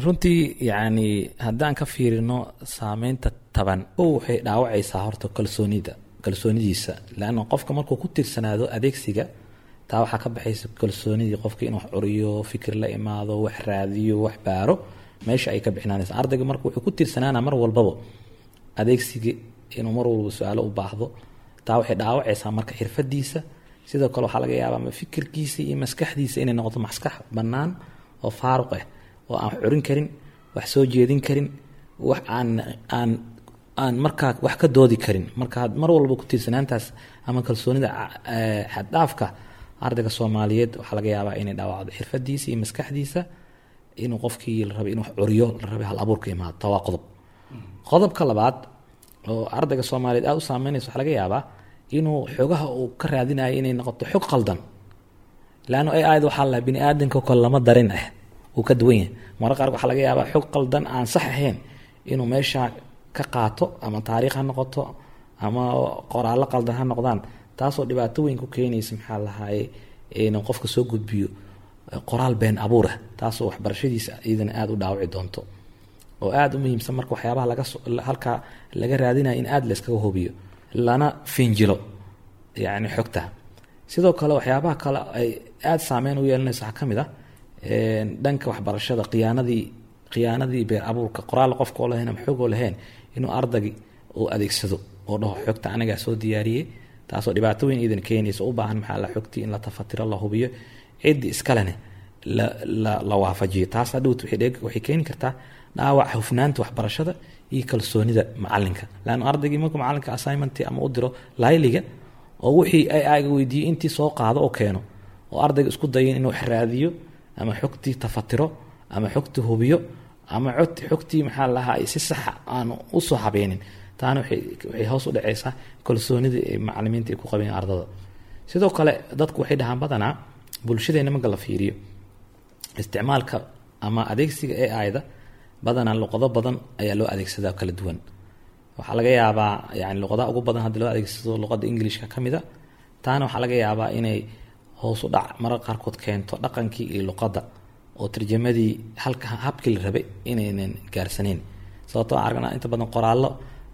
Runtii, yacni, haddaan ka fiirino saameynta taban, kow waxay dhaawacaysaa horta kalsoonida, kalsoonidiisa, leanna qofka markuu ku tiirsanaado adeegsiga, taa waxaa ka baxaysa kalsoonidii qofka inuu wax curiyo, fikir la imaado, wax raadiyo, wax baaro, meesha ay ka bixinaanaysa. Ardayga marka wuxuu ku tiirsanaana mar walbaba adeegsiga, inuu mar walba su-aalo u baahdo. Taa waxay dhaawacaysaa marka xirfadiisa. Sidoo kale waxaa laga yaabaa fikirkiisa iyo maskaxdiisa inay noqoto maskax bannaan oo faaruq ah, oo aan wax curin karin, wax soo jeedin karin, wax aan markaa wax ka doodi karin. Marka mar walba ku tiirsanaantaas ama kalsoonida xaddhaafka ardayga Soomaaliyeed waxaa laga yaabaa inay dhaawacdo xirfadiisa iyo maskaxdiisa, inuu qofkii la rabay inuu wax curiyo, la rabay hal abuurka imaado. Taa waa qodob. Qodobka labaad oo ardayga Soomaaliyeed aada u saameynaysa, waxaa laga yaabaa inuu xogaha uu ka raadinayo inay noqoto xog qaldan, leanno AI-da waxaa la bini aadamka kale lama darin ah. Wuu ka duwan yahay. Mararka qaar waxaa laga yaabaa xog qaldan aan sax ahayn inuu meesha ka qaato, ama taariikh ha noqoto ama qoraallo qaldan ha noqdaan, taasoo dhibaato weyn ku keenaysa, maxaa lahaaye, inuu qofka soo gudbiyo qoraal been abuur ah, taasoo waxbarashadiisa iyadana aada u dhaawici doonto oo aada u muhiimsan. Marka waxyaabaha laga halkaa laga raadinaya in aada layskaga hubiyo lana finjilo, yacni xogta. Sidoo kale waxyaabaha kale ay aada saameyn u yeelanayso waxaa ka mid ah dhanka waxbarashada khiyaanadii been abuurka, qoraal qofka oo lahayn ama xog oo lahayn inuu ardaygi uu adeegsado oo dhaho xogta anigaa soo diyaariyey, taasoo dhibaato weyn iidan keenaysa, u baahan, maxaa la, xogtii in la tafatiro, la hubiyo, ciddii iskalene la waafajiyo. Taas hadhowt waxay keeni kartaa dhaawac hufnaanta waxbarashada iyo kalsoonida macalinka, laanna ardaygii markuu macalinka assignment ama u diro layliga oo wixii ay aga weydiiyey intii soo qaado oo keeno, oo ardayga isku dayin inuu wax raadiyo ama xogtii tafatiro ama xogtii hubiyo ama xogtii, maxaa lahaa, si saxa aan usoo habeenin, taana waxay hoos u dhaceysaa kalsoonidii ay macalimiinta ay ku qabeen ardada. Sidoo kale dadku waxay dhahaan badanaa bulshadeena marka la fiiriyo isticmaalka ama adeegsiga AI-da, badanaa luqado badan ayaa loo adeegsadaa kala duwan. Waxaa laga yaabaa, yani, luqadaha ugu badan hadda loo adeegsado luqada Englishka ka mid a. Taana waxaa laga yaabaa inay hoos u dhac mararka qaarkood keento dhaqankii iyo luqadda oo tarjamadii halka habkii la rabay inaynan gaarsaneyn, sababtoo aan aragnaa inta badan qoraallo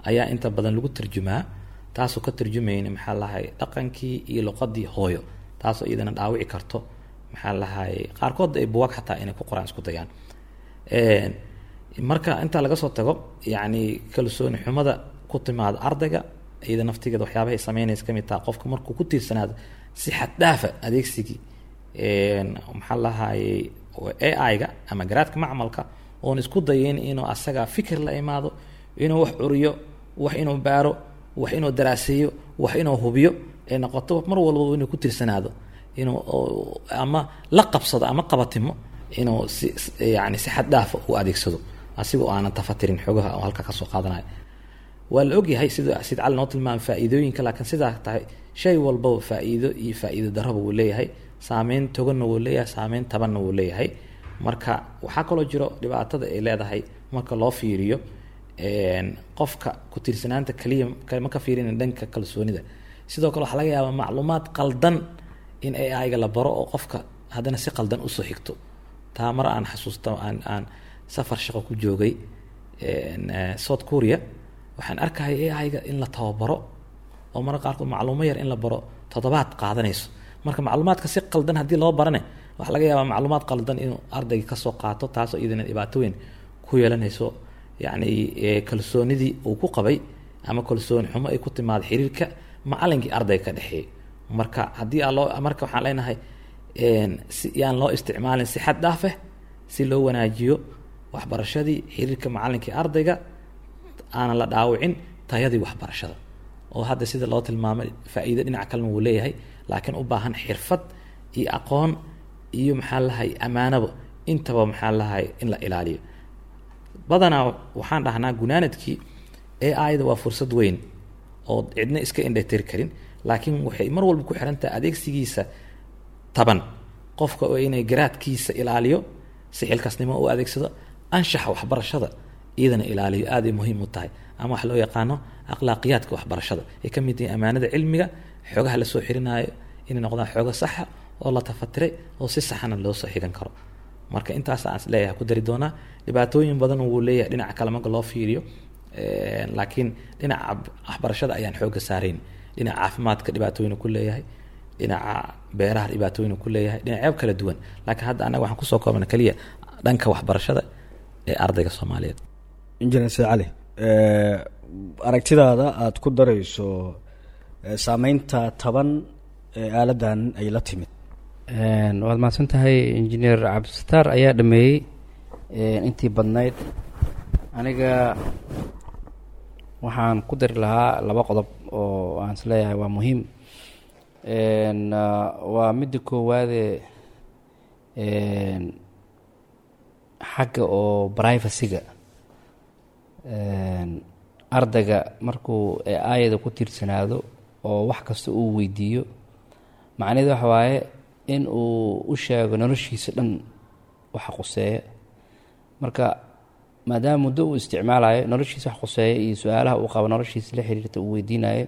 ayaa inta badan lagu tarjumaa, taasoo ka tarjumayna, maxaa lahay, dhaqankii iyo luqadii hooyo, taasoo iyadana dhaawici karto, maxaa lahay, qaarkood ay buwag xataa inay ku qoraan isku dayaan. Marka intaa laga soo tago, yacni, kalsooni xumada ku timaada ardayga iyada naftigeeda waxyaabahay sameynaysa kamid taha. Qofka markuu ku tiirsanaado si xad dhaafa adeegsigii, maxaa lahayey, AI-ga ama garaadka macmalka, oon isku dayin inuu asaga fikir la imaado, inuu wax curiyo, wax inuu baaro, wax inuu daraaseeyo, wax inuu hubiyo, ay noqoto mar walbaba inuu ku tiirsanaado, inuu ama la qabsado ama qabatimo, inuu si, yani, si xad dhaafa u adeegsado asigoo aanan tafatirin xogaha oo halka kasoo qaadanayo. Waa la ogyahay sida Sid Cali noo tilmaamay faa'iidooyinka, laakiin sidaa tahay shay walbaba faa'iido iyo faa'iido darraba wuu leeyahay, saameyn toganna wuu leeyahay, saameyn tabanna wuu leeyahay. Marka waxaa kaloo jiro dhibaatada ay leedahay marka loo fiiriyo qofka ku tiirsanaanta kaliya ma ka fiirina dhanka kalsoonida. Sidoo kale waxaa laga yaabaa macluumaad qaldan in AI-ga la baro oo qofka haddana si qaldan usoo xigto. Taa mar aan xasuusta aan safar shaqo ku joogay South Korea, waxaan arkaya AI-ga in la tababaro oo mararka qaarkood macluumo yar in la baro toddobaad qaadanayso. Marka macluumaadka si qaldan haddii loo barane, waxaa laga yaabaa macluumaad qaldan inuu ardayga kasoo qaato, taasoo iyadana dhibaato weyn ku yeelanayso, yacni, kalsoonidii uu ku qabay ama kalsooni xumo ay ku timaado xiriirka macalinkii ardayga ka dhexeeyay. Marka haddii aa loo, marka waxaan leenahay si yaan loo isticmaalin si xad dhaaf ah, si loo wanaajiyo waxbarashadii, xiriirka macalinkii ardayga, aanan la dhaawicin tayadii waxbarashada, oo hadda sida loo tilmaamay faa'iido dhinaca kalena wuu leeyahay, laakiin u baahan xirfad iyo aqoon iyo, maxaa lahay, ammaanaba intaba, maxaa lahay, in la ilaaliyo. Badanaa waxaan dhahnaa gunaanadkii AI-da waa fursad weyn oo cidna iska indhatiri karin, laakiin waxay mar walba ku xiran tahay adeegsigiisa taban. Qofka oo inay garaadkiisa ilaaliyo, si xilkasnimo u adeegsado, anshaxa waxbarashada iyadana ilaaliyo, aaday muhiim u tahay, ama wax loo yaqaano akhlaaqiyaadka waxbarashada ay ka mid yihiin ammaanada cilmiga, xogaha lasoo xirinaayo inay noqdaan xoogo saxa oo la tafatiray oo si saxana loo soo xigan karo. Marka intaas aan isleeyahay ku dari doonaa. Dhibaatooyin badan wuu leeyahay dhinaca kale marka loo fiiriyo, laakiin dhinaca waxbarashada ayaan xooga saarayn. Dhinaca caafimaadka dhibaatooyin ku leeyahay, dhinaca beeraha dhibaatooyin ku leeyahay, dhinacyo kala duwan, laakiin hadda annaga waxaan kusoo koobna keliya dhanka waxbarashada ee ardayga Soomaaliyeed. Injineer Said Cali, aragtidaada aada ku darayso saameynta taban ee aaladdan ay la timid? Waad mahadsan tahay. Injineer Cabdisataar ayaa dhameeyey intii badnayd. Aniga waxaan ku dari lahaa laba qodob oo aan isleeyahay waa muhiim. Waa midda koowaade, xagga oo privacy-ga ardayga markuu aayada ku tiirsanaado oo wax kasta uu weydiiyo, macnaheedu waxa waaye in uu u sheego noloshiisa dhan. Waxa quseeya marka, maadaama muddo uu isticmaalayo, noloshiisa wax quseeya iyo su-aalaha uu qabo noloshiisa la xiriirta uu weydiinayo,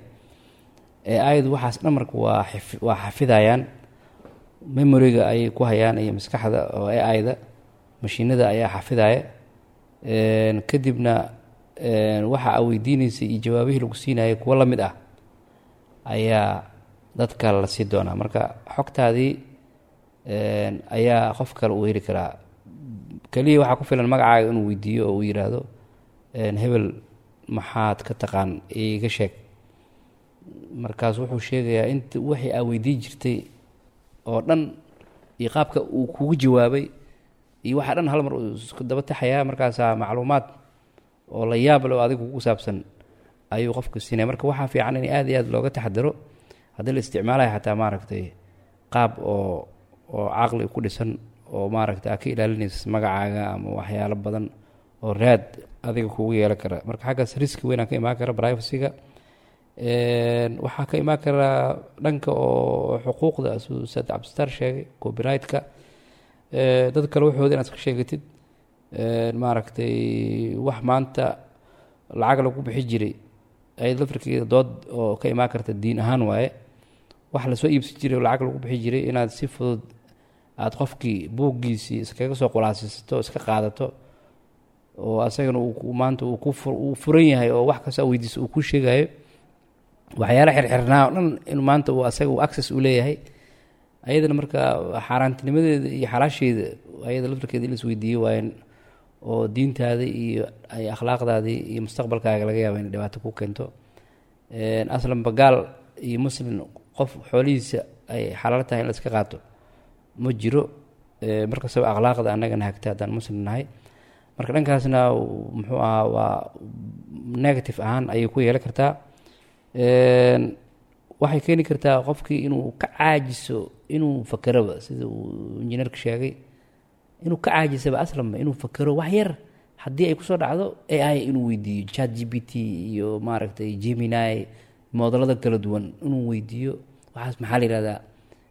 AI-du waxaas dhan marka waa xafidayaan, memory-ga ayay ku hayaan iyo maskaxda oo AI-da mashiinada ayaa xafidaya. Kadibna waxa aa weydiineysay iyo jawaabihii lagu siinayay kuwo la mid ah ayaa dadka la sii doonaa. Marka xogtaadii ayaa qof kale uu heli karaa. Keliya waxaa ku filan magacaaga inuu weydiiyo oo uu yidhaahdo, "Hebel maxaad ka taqaan? Iga sheeg." Markaas wuxuu sheegayaa inta wixii aa weydiin jirtay oo dhan iyo qaabka uu kugu jawaabay iyo waxaa dhan hal mar uu isku daba taxayaa. Markaasaa macluumaad oo la yaab leh oo adiga kugu saabsan ayuu qofku siinaya. Marka waxaa fiican in aad iyo aad looga taxadaro haddii la isticmaalayo, xataa maaragtay qaab oo caqli ku dhisan oo maaragtay aad ka ilaalinaysa magacaaga ama waxyaalo badan oo raad adiga kugu yeelan kara. Marka xaggaas risk weynaa ka imaan kara privacy-ga. Waxaa ka imaan kara dhanka oo xuquuqda, siduu Ustaad Cabdisataar sheegay, copyright-ka, dad kale waxooda inaad iska sheegatid. Maaragtay wax maanta lacag lagu bixi jiray ayad lafirkeeda dood oo ka imaan karta diin ahaan waaye. Wax lasoo iibsan jiray oo lacag lagu bixi jiray inaad si fudud aada qofkii buuggiisii iskaga soo qulaasaysato, iska qaadato, oo asagana uu maanta uu ku uu furan yahay oo wax kasta weydiiso uu ku sheegayo, waxyaala xirxirnaa oo dhan in maanta uu asaga uu access u leeyahay, ayadana marka xaaraantinimadeeda iyo xalaasheeda ayada laftirkeeda in la isweydiiyo waayen, oo diintaada iyo ay akhlaaqdaadii iyo mustaqbalkaaga laga yaaba inay dhibaato ku keento. Aslanba gaal iyo muslim qof xoolihiisa ay xalaal tahay in la iska qaato ma jiro. Markastaba akhlaaqda annagana hagta haddaan muslim nahay. Marka dhankaasna muxuu ahaa, waa negative ahaan ayay ku yeelan kartaa. Waxay keeni kartaa qofkii inuu ka caajiso inuu fakeraba, sida uu injineerka sheegay, inuu ka caajisaba aslanba inuu fakero. Wax yar haddii ay kusoo dhacdo AI inuu weydiiyo, ChatGPT iyo maaragtay Gemini, moodalada kala duwan inuu weydiiyo, "Waxaas maxaa la yihahdaa?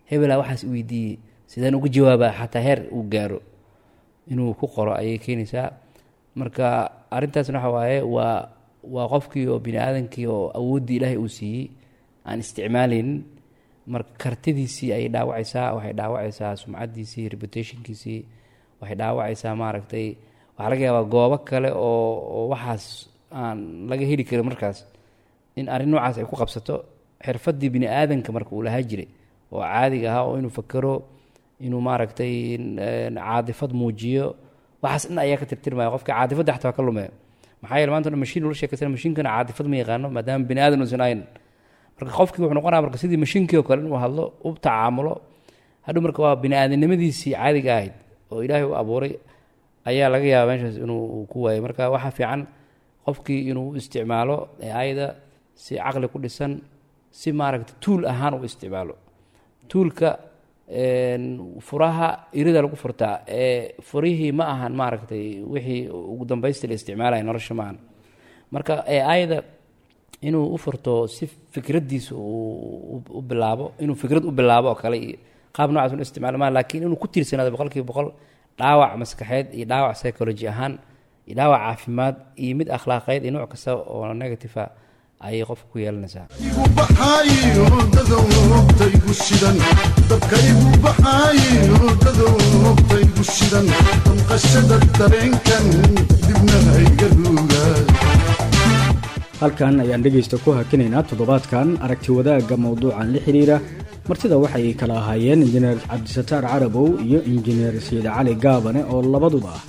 Hebelaa waxaas weydiiyey, sideen uga jawaabaa?" Xataa heer uu gaaro inuu ku qoro ayay keenaysaa. Marka arrintaasna waxa waaye waa qofkii oo bini aadankii oo awooddii Ilaahay uu siiyey aan isticmaaleynin. Marka kartidiisii ayay dhaawacaysaa, waxay dhaawacaysaa sumcaddiisii, reputation-kiisii waxay dhaawacaysaa. Maaragtay waxaa laga yaabaa goobo kale oo waxaas aan laga heli karin markaas in arrin noocaas ay ku qabsato. Xirfaddii bini aadanka marka uu lahaa jiray oo caadiga ahaa, oo inuu fakero, inuu maaragtay caadifad muujiyo, waxaas dhan ayaa ka tirtirmaya. Qofka caadifadda xataa waa ka lumaya. Maxaa yeele maanta dhan mashiin ula sheekaysana, mashiinkana caadifad ma yaqaano maadaama bini aadan uusan ahayn. Marka qofkii wuxuu noqonaya marka sidii mashiinkii oo kale inuu hadlo, u tacaamulo hadhow. Marka waa bini aadamnimadiisii caadiga ahayd oo Ilaahay u abuuray ayaa laga yaaba meeshaas inuu ku waayo. Marka waxaa fiican qofkii inuu u isticmaalo ayada si caqli ku dhisan, si maaragta tool ahaan u isticmaalo. Tool-ka furaha irida lagu furtaa ee furihii ma ahan maaragtay wixii ugu dambaysta la isticmaalaya nolosha ma ahan. Marka ayada inuu u furto si fikraddiisa u bilaabo, inuu fikrad u bilaabo oo kale iyo qaab noocaas inu isticmaalo maa, laakiin inuu ku tiirsanaado 100% dhaawac maskaxeed iyo dhaawac psychology ahaan iyo dhaawac caafimaad iyo mid akhlaaqeed iyo nooc kasta oo negative ah ayay qofka ku yeelanaysaa. Igu baxaayo dadowtaygu shidan, dabkaygu baxaayo dadowtaygu shidan, damqashada dareenkan dibna hayga ruuga. Halkan ayaan dhegaysta ku hakinaynaa toddobaadkan aragti wadaagga mowduucan la xiriira. Martida waxay kala ahaayeen Injineer Cabdisataar Carabow iyo Injineer Sayid Cali Gaabane, oo labaduba ah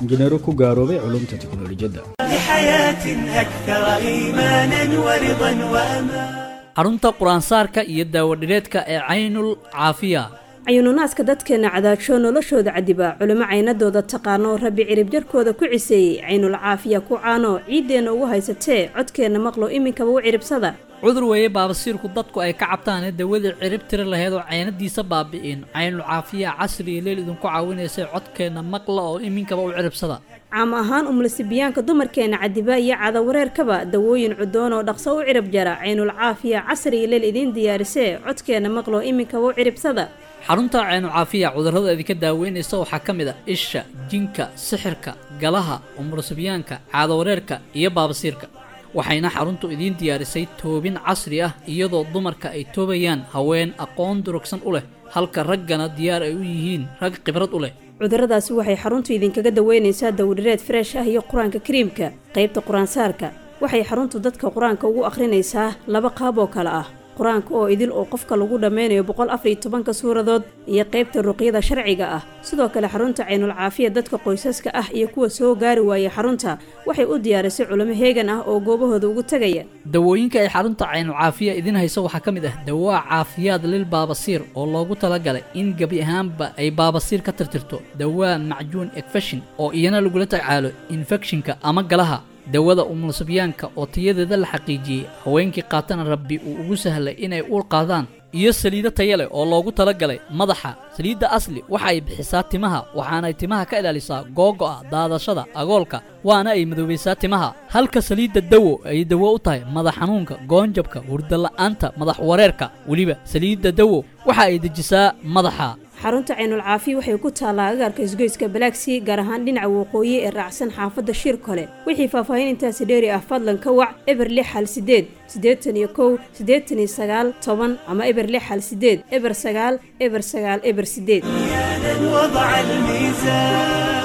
injineero ku gaaroobay culumta teknolojiyadda. لحياة أكثر إيمانا ورضا وأمان. Xarunta qur-aansaarka iyo daawadhireedka ee Caynul Caafiya. Cayununaaska dadkeena cadaajoo noloshooda cadiba, culimo caynadooda taqaano, Rabbi ciribjarkooda ku ciseeyey, Caynul Caafiya ku caano, ciiddeenna ugu haysatee, codkeenna maqlo, iminkaba u ciribsada. Cudur weeye baabasiirku dadku ay ka cabtaane, dawadii cirib tiri lahayd oo caynadiisa baabi'in, Caynul Caafiya casri iyo leel idinku caawinaysa. Codkeenna maqla oo iminkaba u ciribsada. Caam ahaan umlasibiyaanka dumarkeena cadiba iyo cadawareerkaba, dawooyin cudoon oo dhaqso u cirib jara, Caynul Caafiya casri iyo leel idiin diyaarisee, codkeenna maqlo, iminkaba u ciribsada. Xarunta Caynu Caafiya cudurrada idinka daaweynaysa waxaa ka mid ah isha, jinka, sixirka, galaha, umursibyaanka, caadawareerka iyo baabasiirka. Waxayna xaruntu idiin diyaarisay toobin casri ah, iyadoo dumarka ay toobayaan haween aqoon durugsan u leh, halka raggana diyaar ay u yihiin rag khibrad u leh. Cudurradaasi waxay xaruntu idinkaga daweynaysaa dawdhireed fresh ah iyo Qur-aanka Kariimka. Qaybta qur-aansaarka waxay xaruntu dadka qur-aanka ugu akhrinaysaa laba qaab oo kale ah: qur-aanka oo idil oo qofka lagu dhammeynayo 114-ka suuradood iyo qaybta ruqyada sharciga ah. Sidoo kale, xarunta Caynul Caafiya dadka qoysaska ah iyo kuwa soo gaari waaya xarunta waxay u diyaarisay culimo heegan ah oo goobahooda ugu tegaya. Dawooyinka ay xarunta Caynu Caafiya idiin hayso waxaa ka mid ah dawaa caafiyaad lil baabasiir oo loogu talagalay in gebi ahaanba ay baabasiir ka tirtirto, dawaa macjuun ekfashin oo iyana lagula tacaalo infekshinka ama galaha, dawada umulusibyaanka oo tayadeeda la xaqiijiyey, haweenkii qaatana Rabbi uu ugu sahlay inay uur qaadaan, iyo saliido taya leh oo loogu talagalay madaxa. Saliidda Asli waxa ay bixisaa timaha, waxaanay timaha ka ilaalisaa googo'a, daadashada, agoolka, waana ay madoobaysaa timaha, halka saliidda Dawo ay dawo u tahay madax xanuunka, goonjabka, hurdala'aanta, madax wareerka. Weliba saliidda Dawo waxa ay dejisaa madaxa. Xarunta Caynul Caafiya waxay ku taallaa agaarka isgoyska Balaagsii, gaar ahaan dhinaca waqooyi ee raacsan xaafadda Shir Kole. Wixii faahfaahin intaasi dheeri ah, fadlan ka wac 0618 81 89 10 ama 0618 09 09 08. وضع الميزان.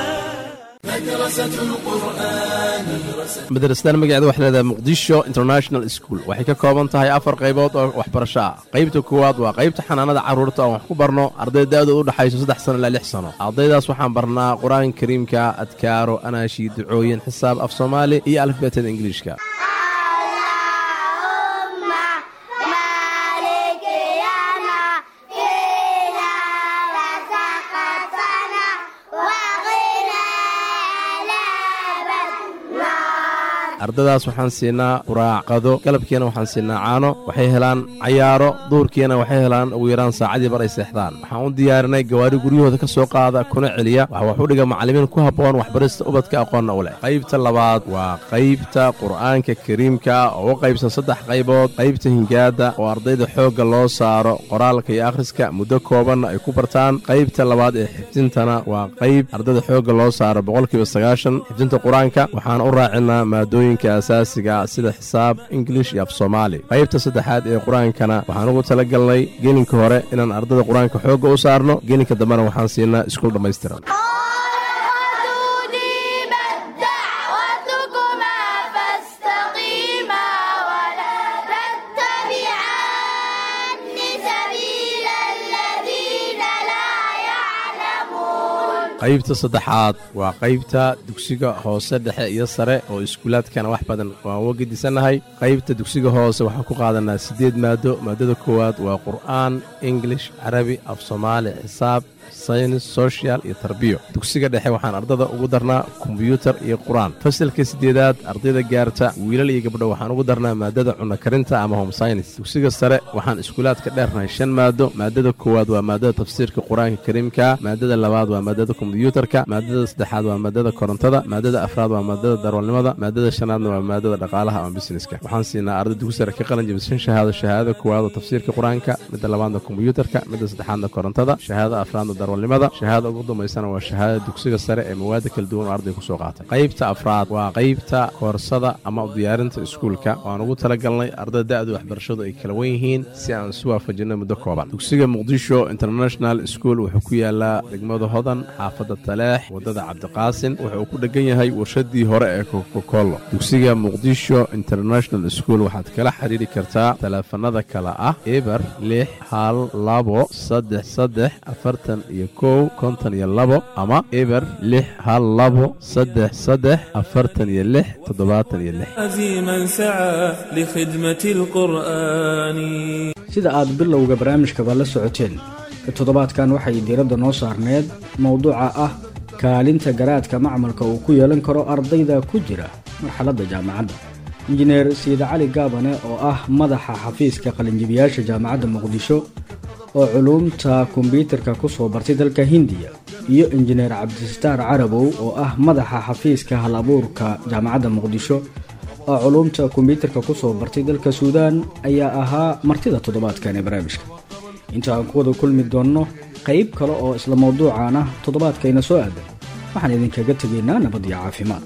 Madrasadan magaceeda waxay leedahay Muqdisho International School. Waxay ka kooban tahay afar qaybood oo waxbarasho ah. Qaybta koowaad waa qaybta xanaanada carruurta oo wax ku barno arday da'doodu u dhaxayso 3 sano ilaa 6 sano. Ardaydaas waxaan barnaa Qur-aanka Kariimka, adkaaro, anaashi, ducooyin, xisaab, af Soomaali iyo alifbeetada Ingiliishka. Ardadaas waxaan siinaa quraac, qado, galabkiina waxaan siinaa caano. Waxay helaan cayaaro, duurkiina waxay helaan ugu yaraan saacadii bar ay seexdaan. Waxaan u diyaarinay gawaari guryahooda ka soo qaada kuna celiya. Waxa wax u dhiga macallimiin ku habboon waxbarista ubadka, aqoonna u leh. Qaybta labaad waa qaybta Qur'aanka Kariimka oo u qaybsan saddex qaybood: qaybta hingaadda oo ardayda xoogga loo saaro qoraalka iyo akhriska, muddo koobanna ay ku bartaan; qaybta labaad ee xifdintana waa qayb ardayda xoogga loo saaro 90% xifdinta Qur-aanka, waxaana u raacinaa maadooyinka asaasiga sida xisaab, Ingilish iyo af Soomaali; qaybta saddexaad ee qur-aankana waxaan ugu talagalnay gelinka hore inaan ardayda qur-aanka xoogga u saarno, gelinka dambena waxaan siinaa iskuul dhammaystiran. دعوتكما فاستقيما ولا تتبعان سبيل الذين لا يعلمون. Qaybta saddexaad waa qaybta dugsiga hoose, dhexe iyo sare oo iskuulaadkana wax badan waan uga gedisannahay. Qaybta dugsiga hoose waxaan ku qaadanaa siddeed maado. Maadada koowaad waa Qur'aan, English, Carabi, af Soomaali, xisaab, saynis, social iyo tarbiyo. Dugsiga dhexe waxaan ardada ugu darnaa kombyuutar iyo Qur-aan. Fasalka siddeedaad ardayda gaarta, wiilal iyo gabdho, waxaan ugu darnaa maadada cunno karinta ama home science. Dugsiga sare waxaan iskuulaadka dheernahay shan maado. Maadada koowaad waa maadada tafsiirka Qur-aanka Kariimka, maadada labaad waa maadada kombyuutarka, maadada saddexaad waa maadada korontada, maadada afraad waa maadada darwalnimada, maadada shanaadna waa maadada dhaqaalaha ama businesska. Waxaan siinaa arday dugsi sare ka qalin jabisay shan shahaado: shahaadada koowaad oo tafsiirka Qur-aanka, midda labaadna kombyuutarka, midda saddexaadna korontada, shahaadada afraadna darwalnimada, shahaadada ugu dambaysana waa shahaadada dugsiga sare ee mawaada kala duwan oo arday kusoo qaatay. Qaybta afraad waa qaybta koorsada ama diyaarinta iskuulka oo aan ugu talagalnay ardayda da'du waxbarashadu ay kala wen yihiin si aan isu waafajinay muddo kooban. Dugsiga Muqdisho International School wuxuu ku yaalaa degmada Hodan, xaafadda Taleex, waddada Cabdiqaasin. Wuxuu ku dhegan yahay warshadii hore ee Kokokolo. Dugsiga Muqdisho International School waxaad kala xiriiri kartaa taleefanada kale ah 0612 33 41 52 ama 0612 33 46 76. عزيما سعى لخدمة القرآن. Sida aad bilowga barnaamijkaba la socoteen, toddobaadkan waxay diiradda noo saarneed mowduuca ah kaalinta garaadka macmalka uu ku yeelan karo ardayda ku jira marxaladda jaamacadda. Injineer Siida Cali Gaabane oo ah madaxa xafiiska qalinjibiyaasha Jaamacadda Muqdisho oo culuumta kombyuutarka ku soo bartay dalka Hindiya, iyo Injineer Cabdisitaar Carabow oo ah madaxa xafiiska hal abuurka Jaamacadda Muqdisho oo culuumta kombyuutarka ku soo bartay dalka Suudaan, ayaa ahaa martida toddobaadkan ee barnaamijka. Inta aan ku wada kulmi doonno qayb kale oo isla mawduucan ah toddobaadkayna soo aadan, waxaan idinkaga tegaynaa nabad iyo caafimaad.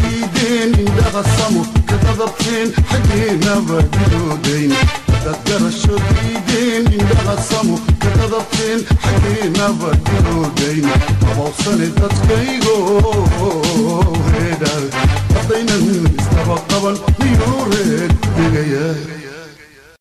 Diideen indhaha samo ka dadabteen xaggeennaba gidoodayn. Haddaad garasho diideen, indhaha samo ka dadabteen xaggeennaba gidoodayn. Habawsane dadkaygo heedha, haddaynan isdaba qaban miyuu reer ku degaya?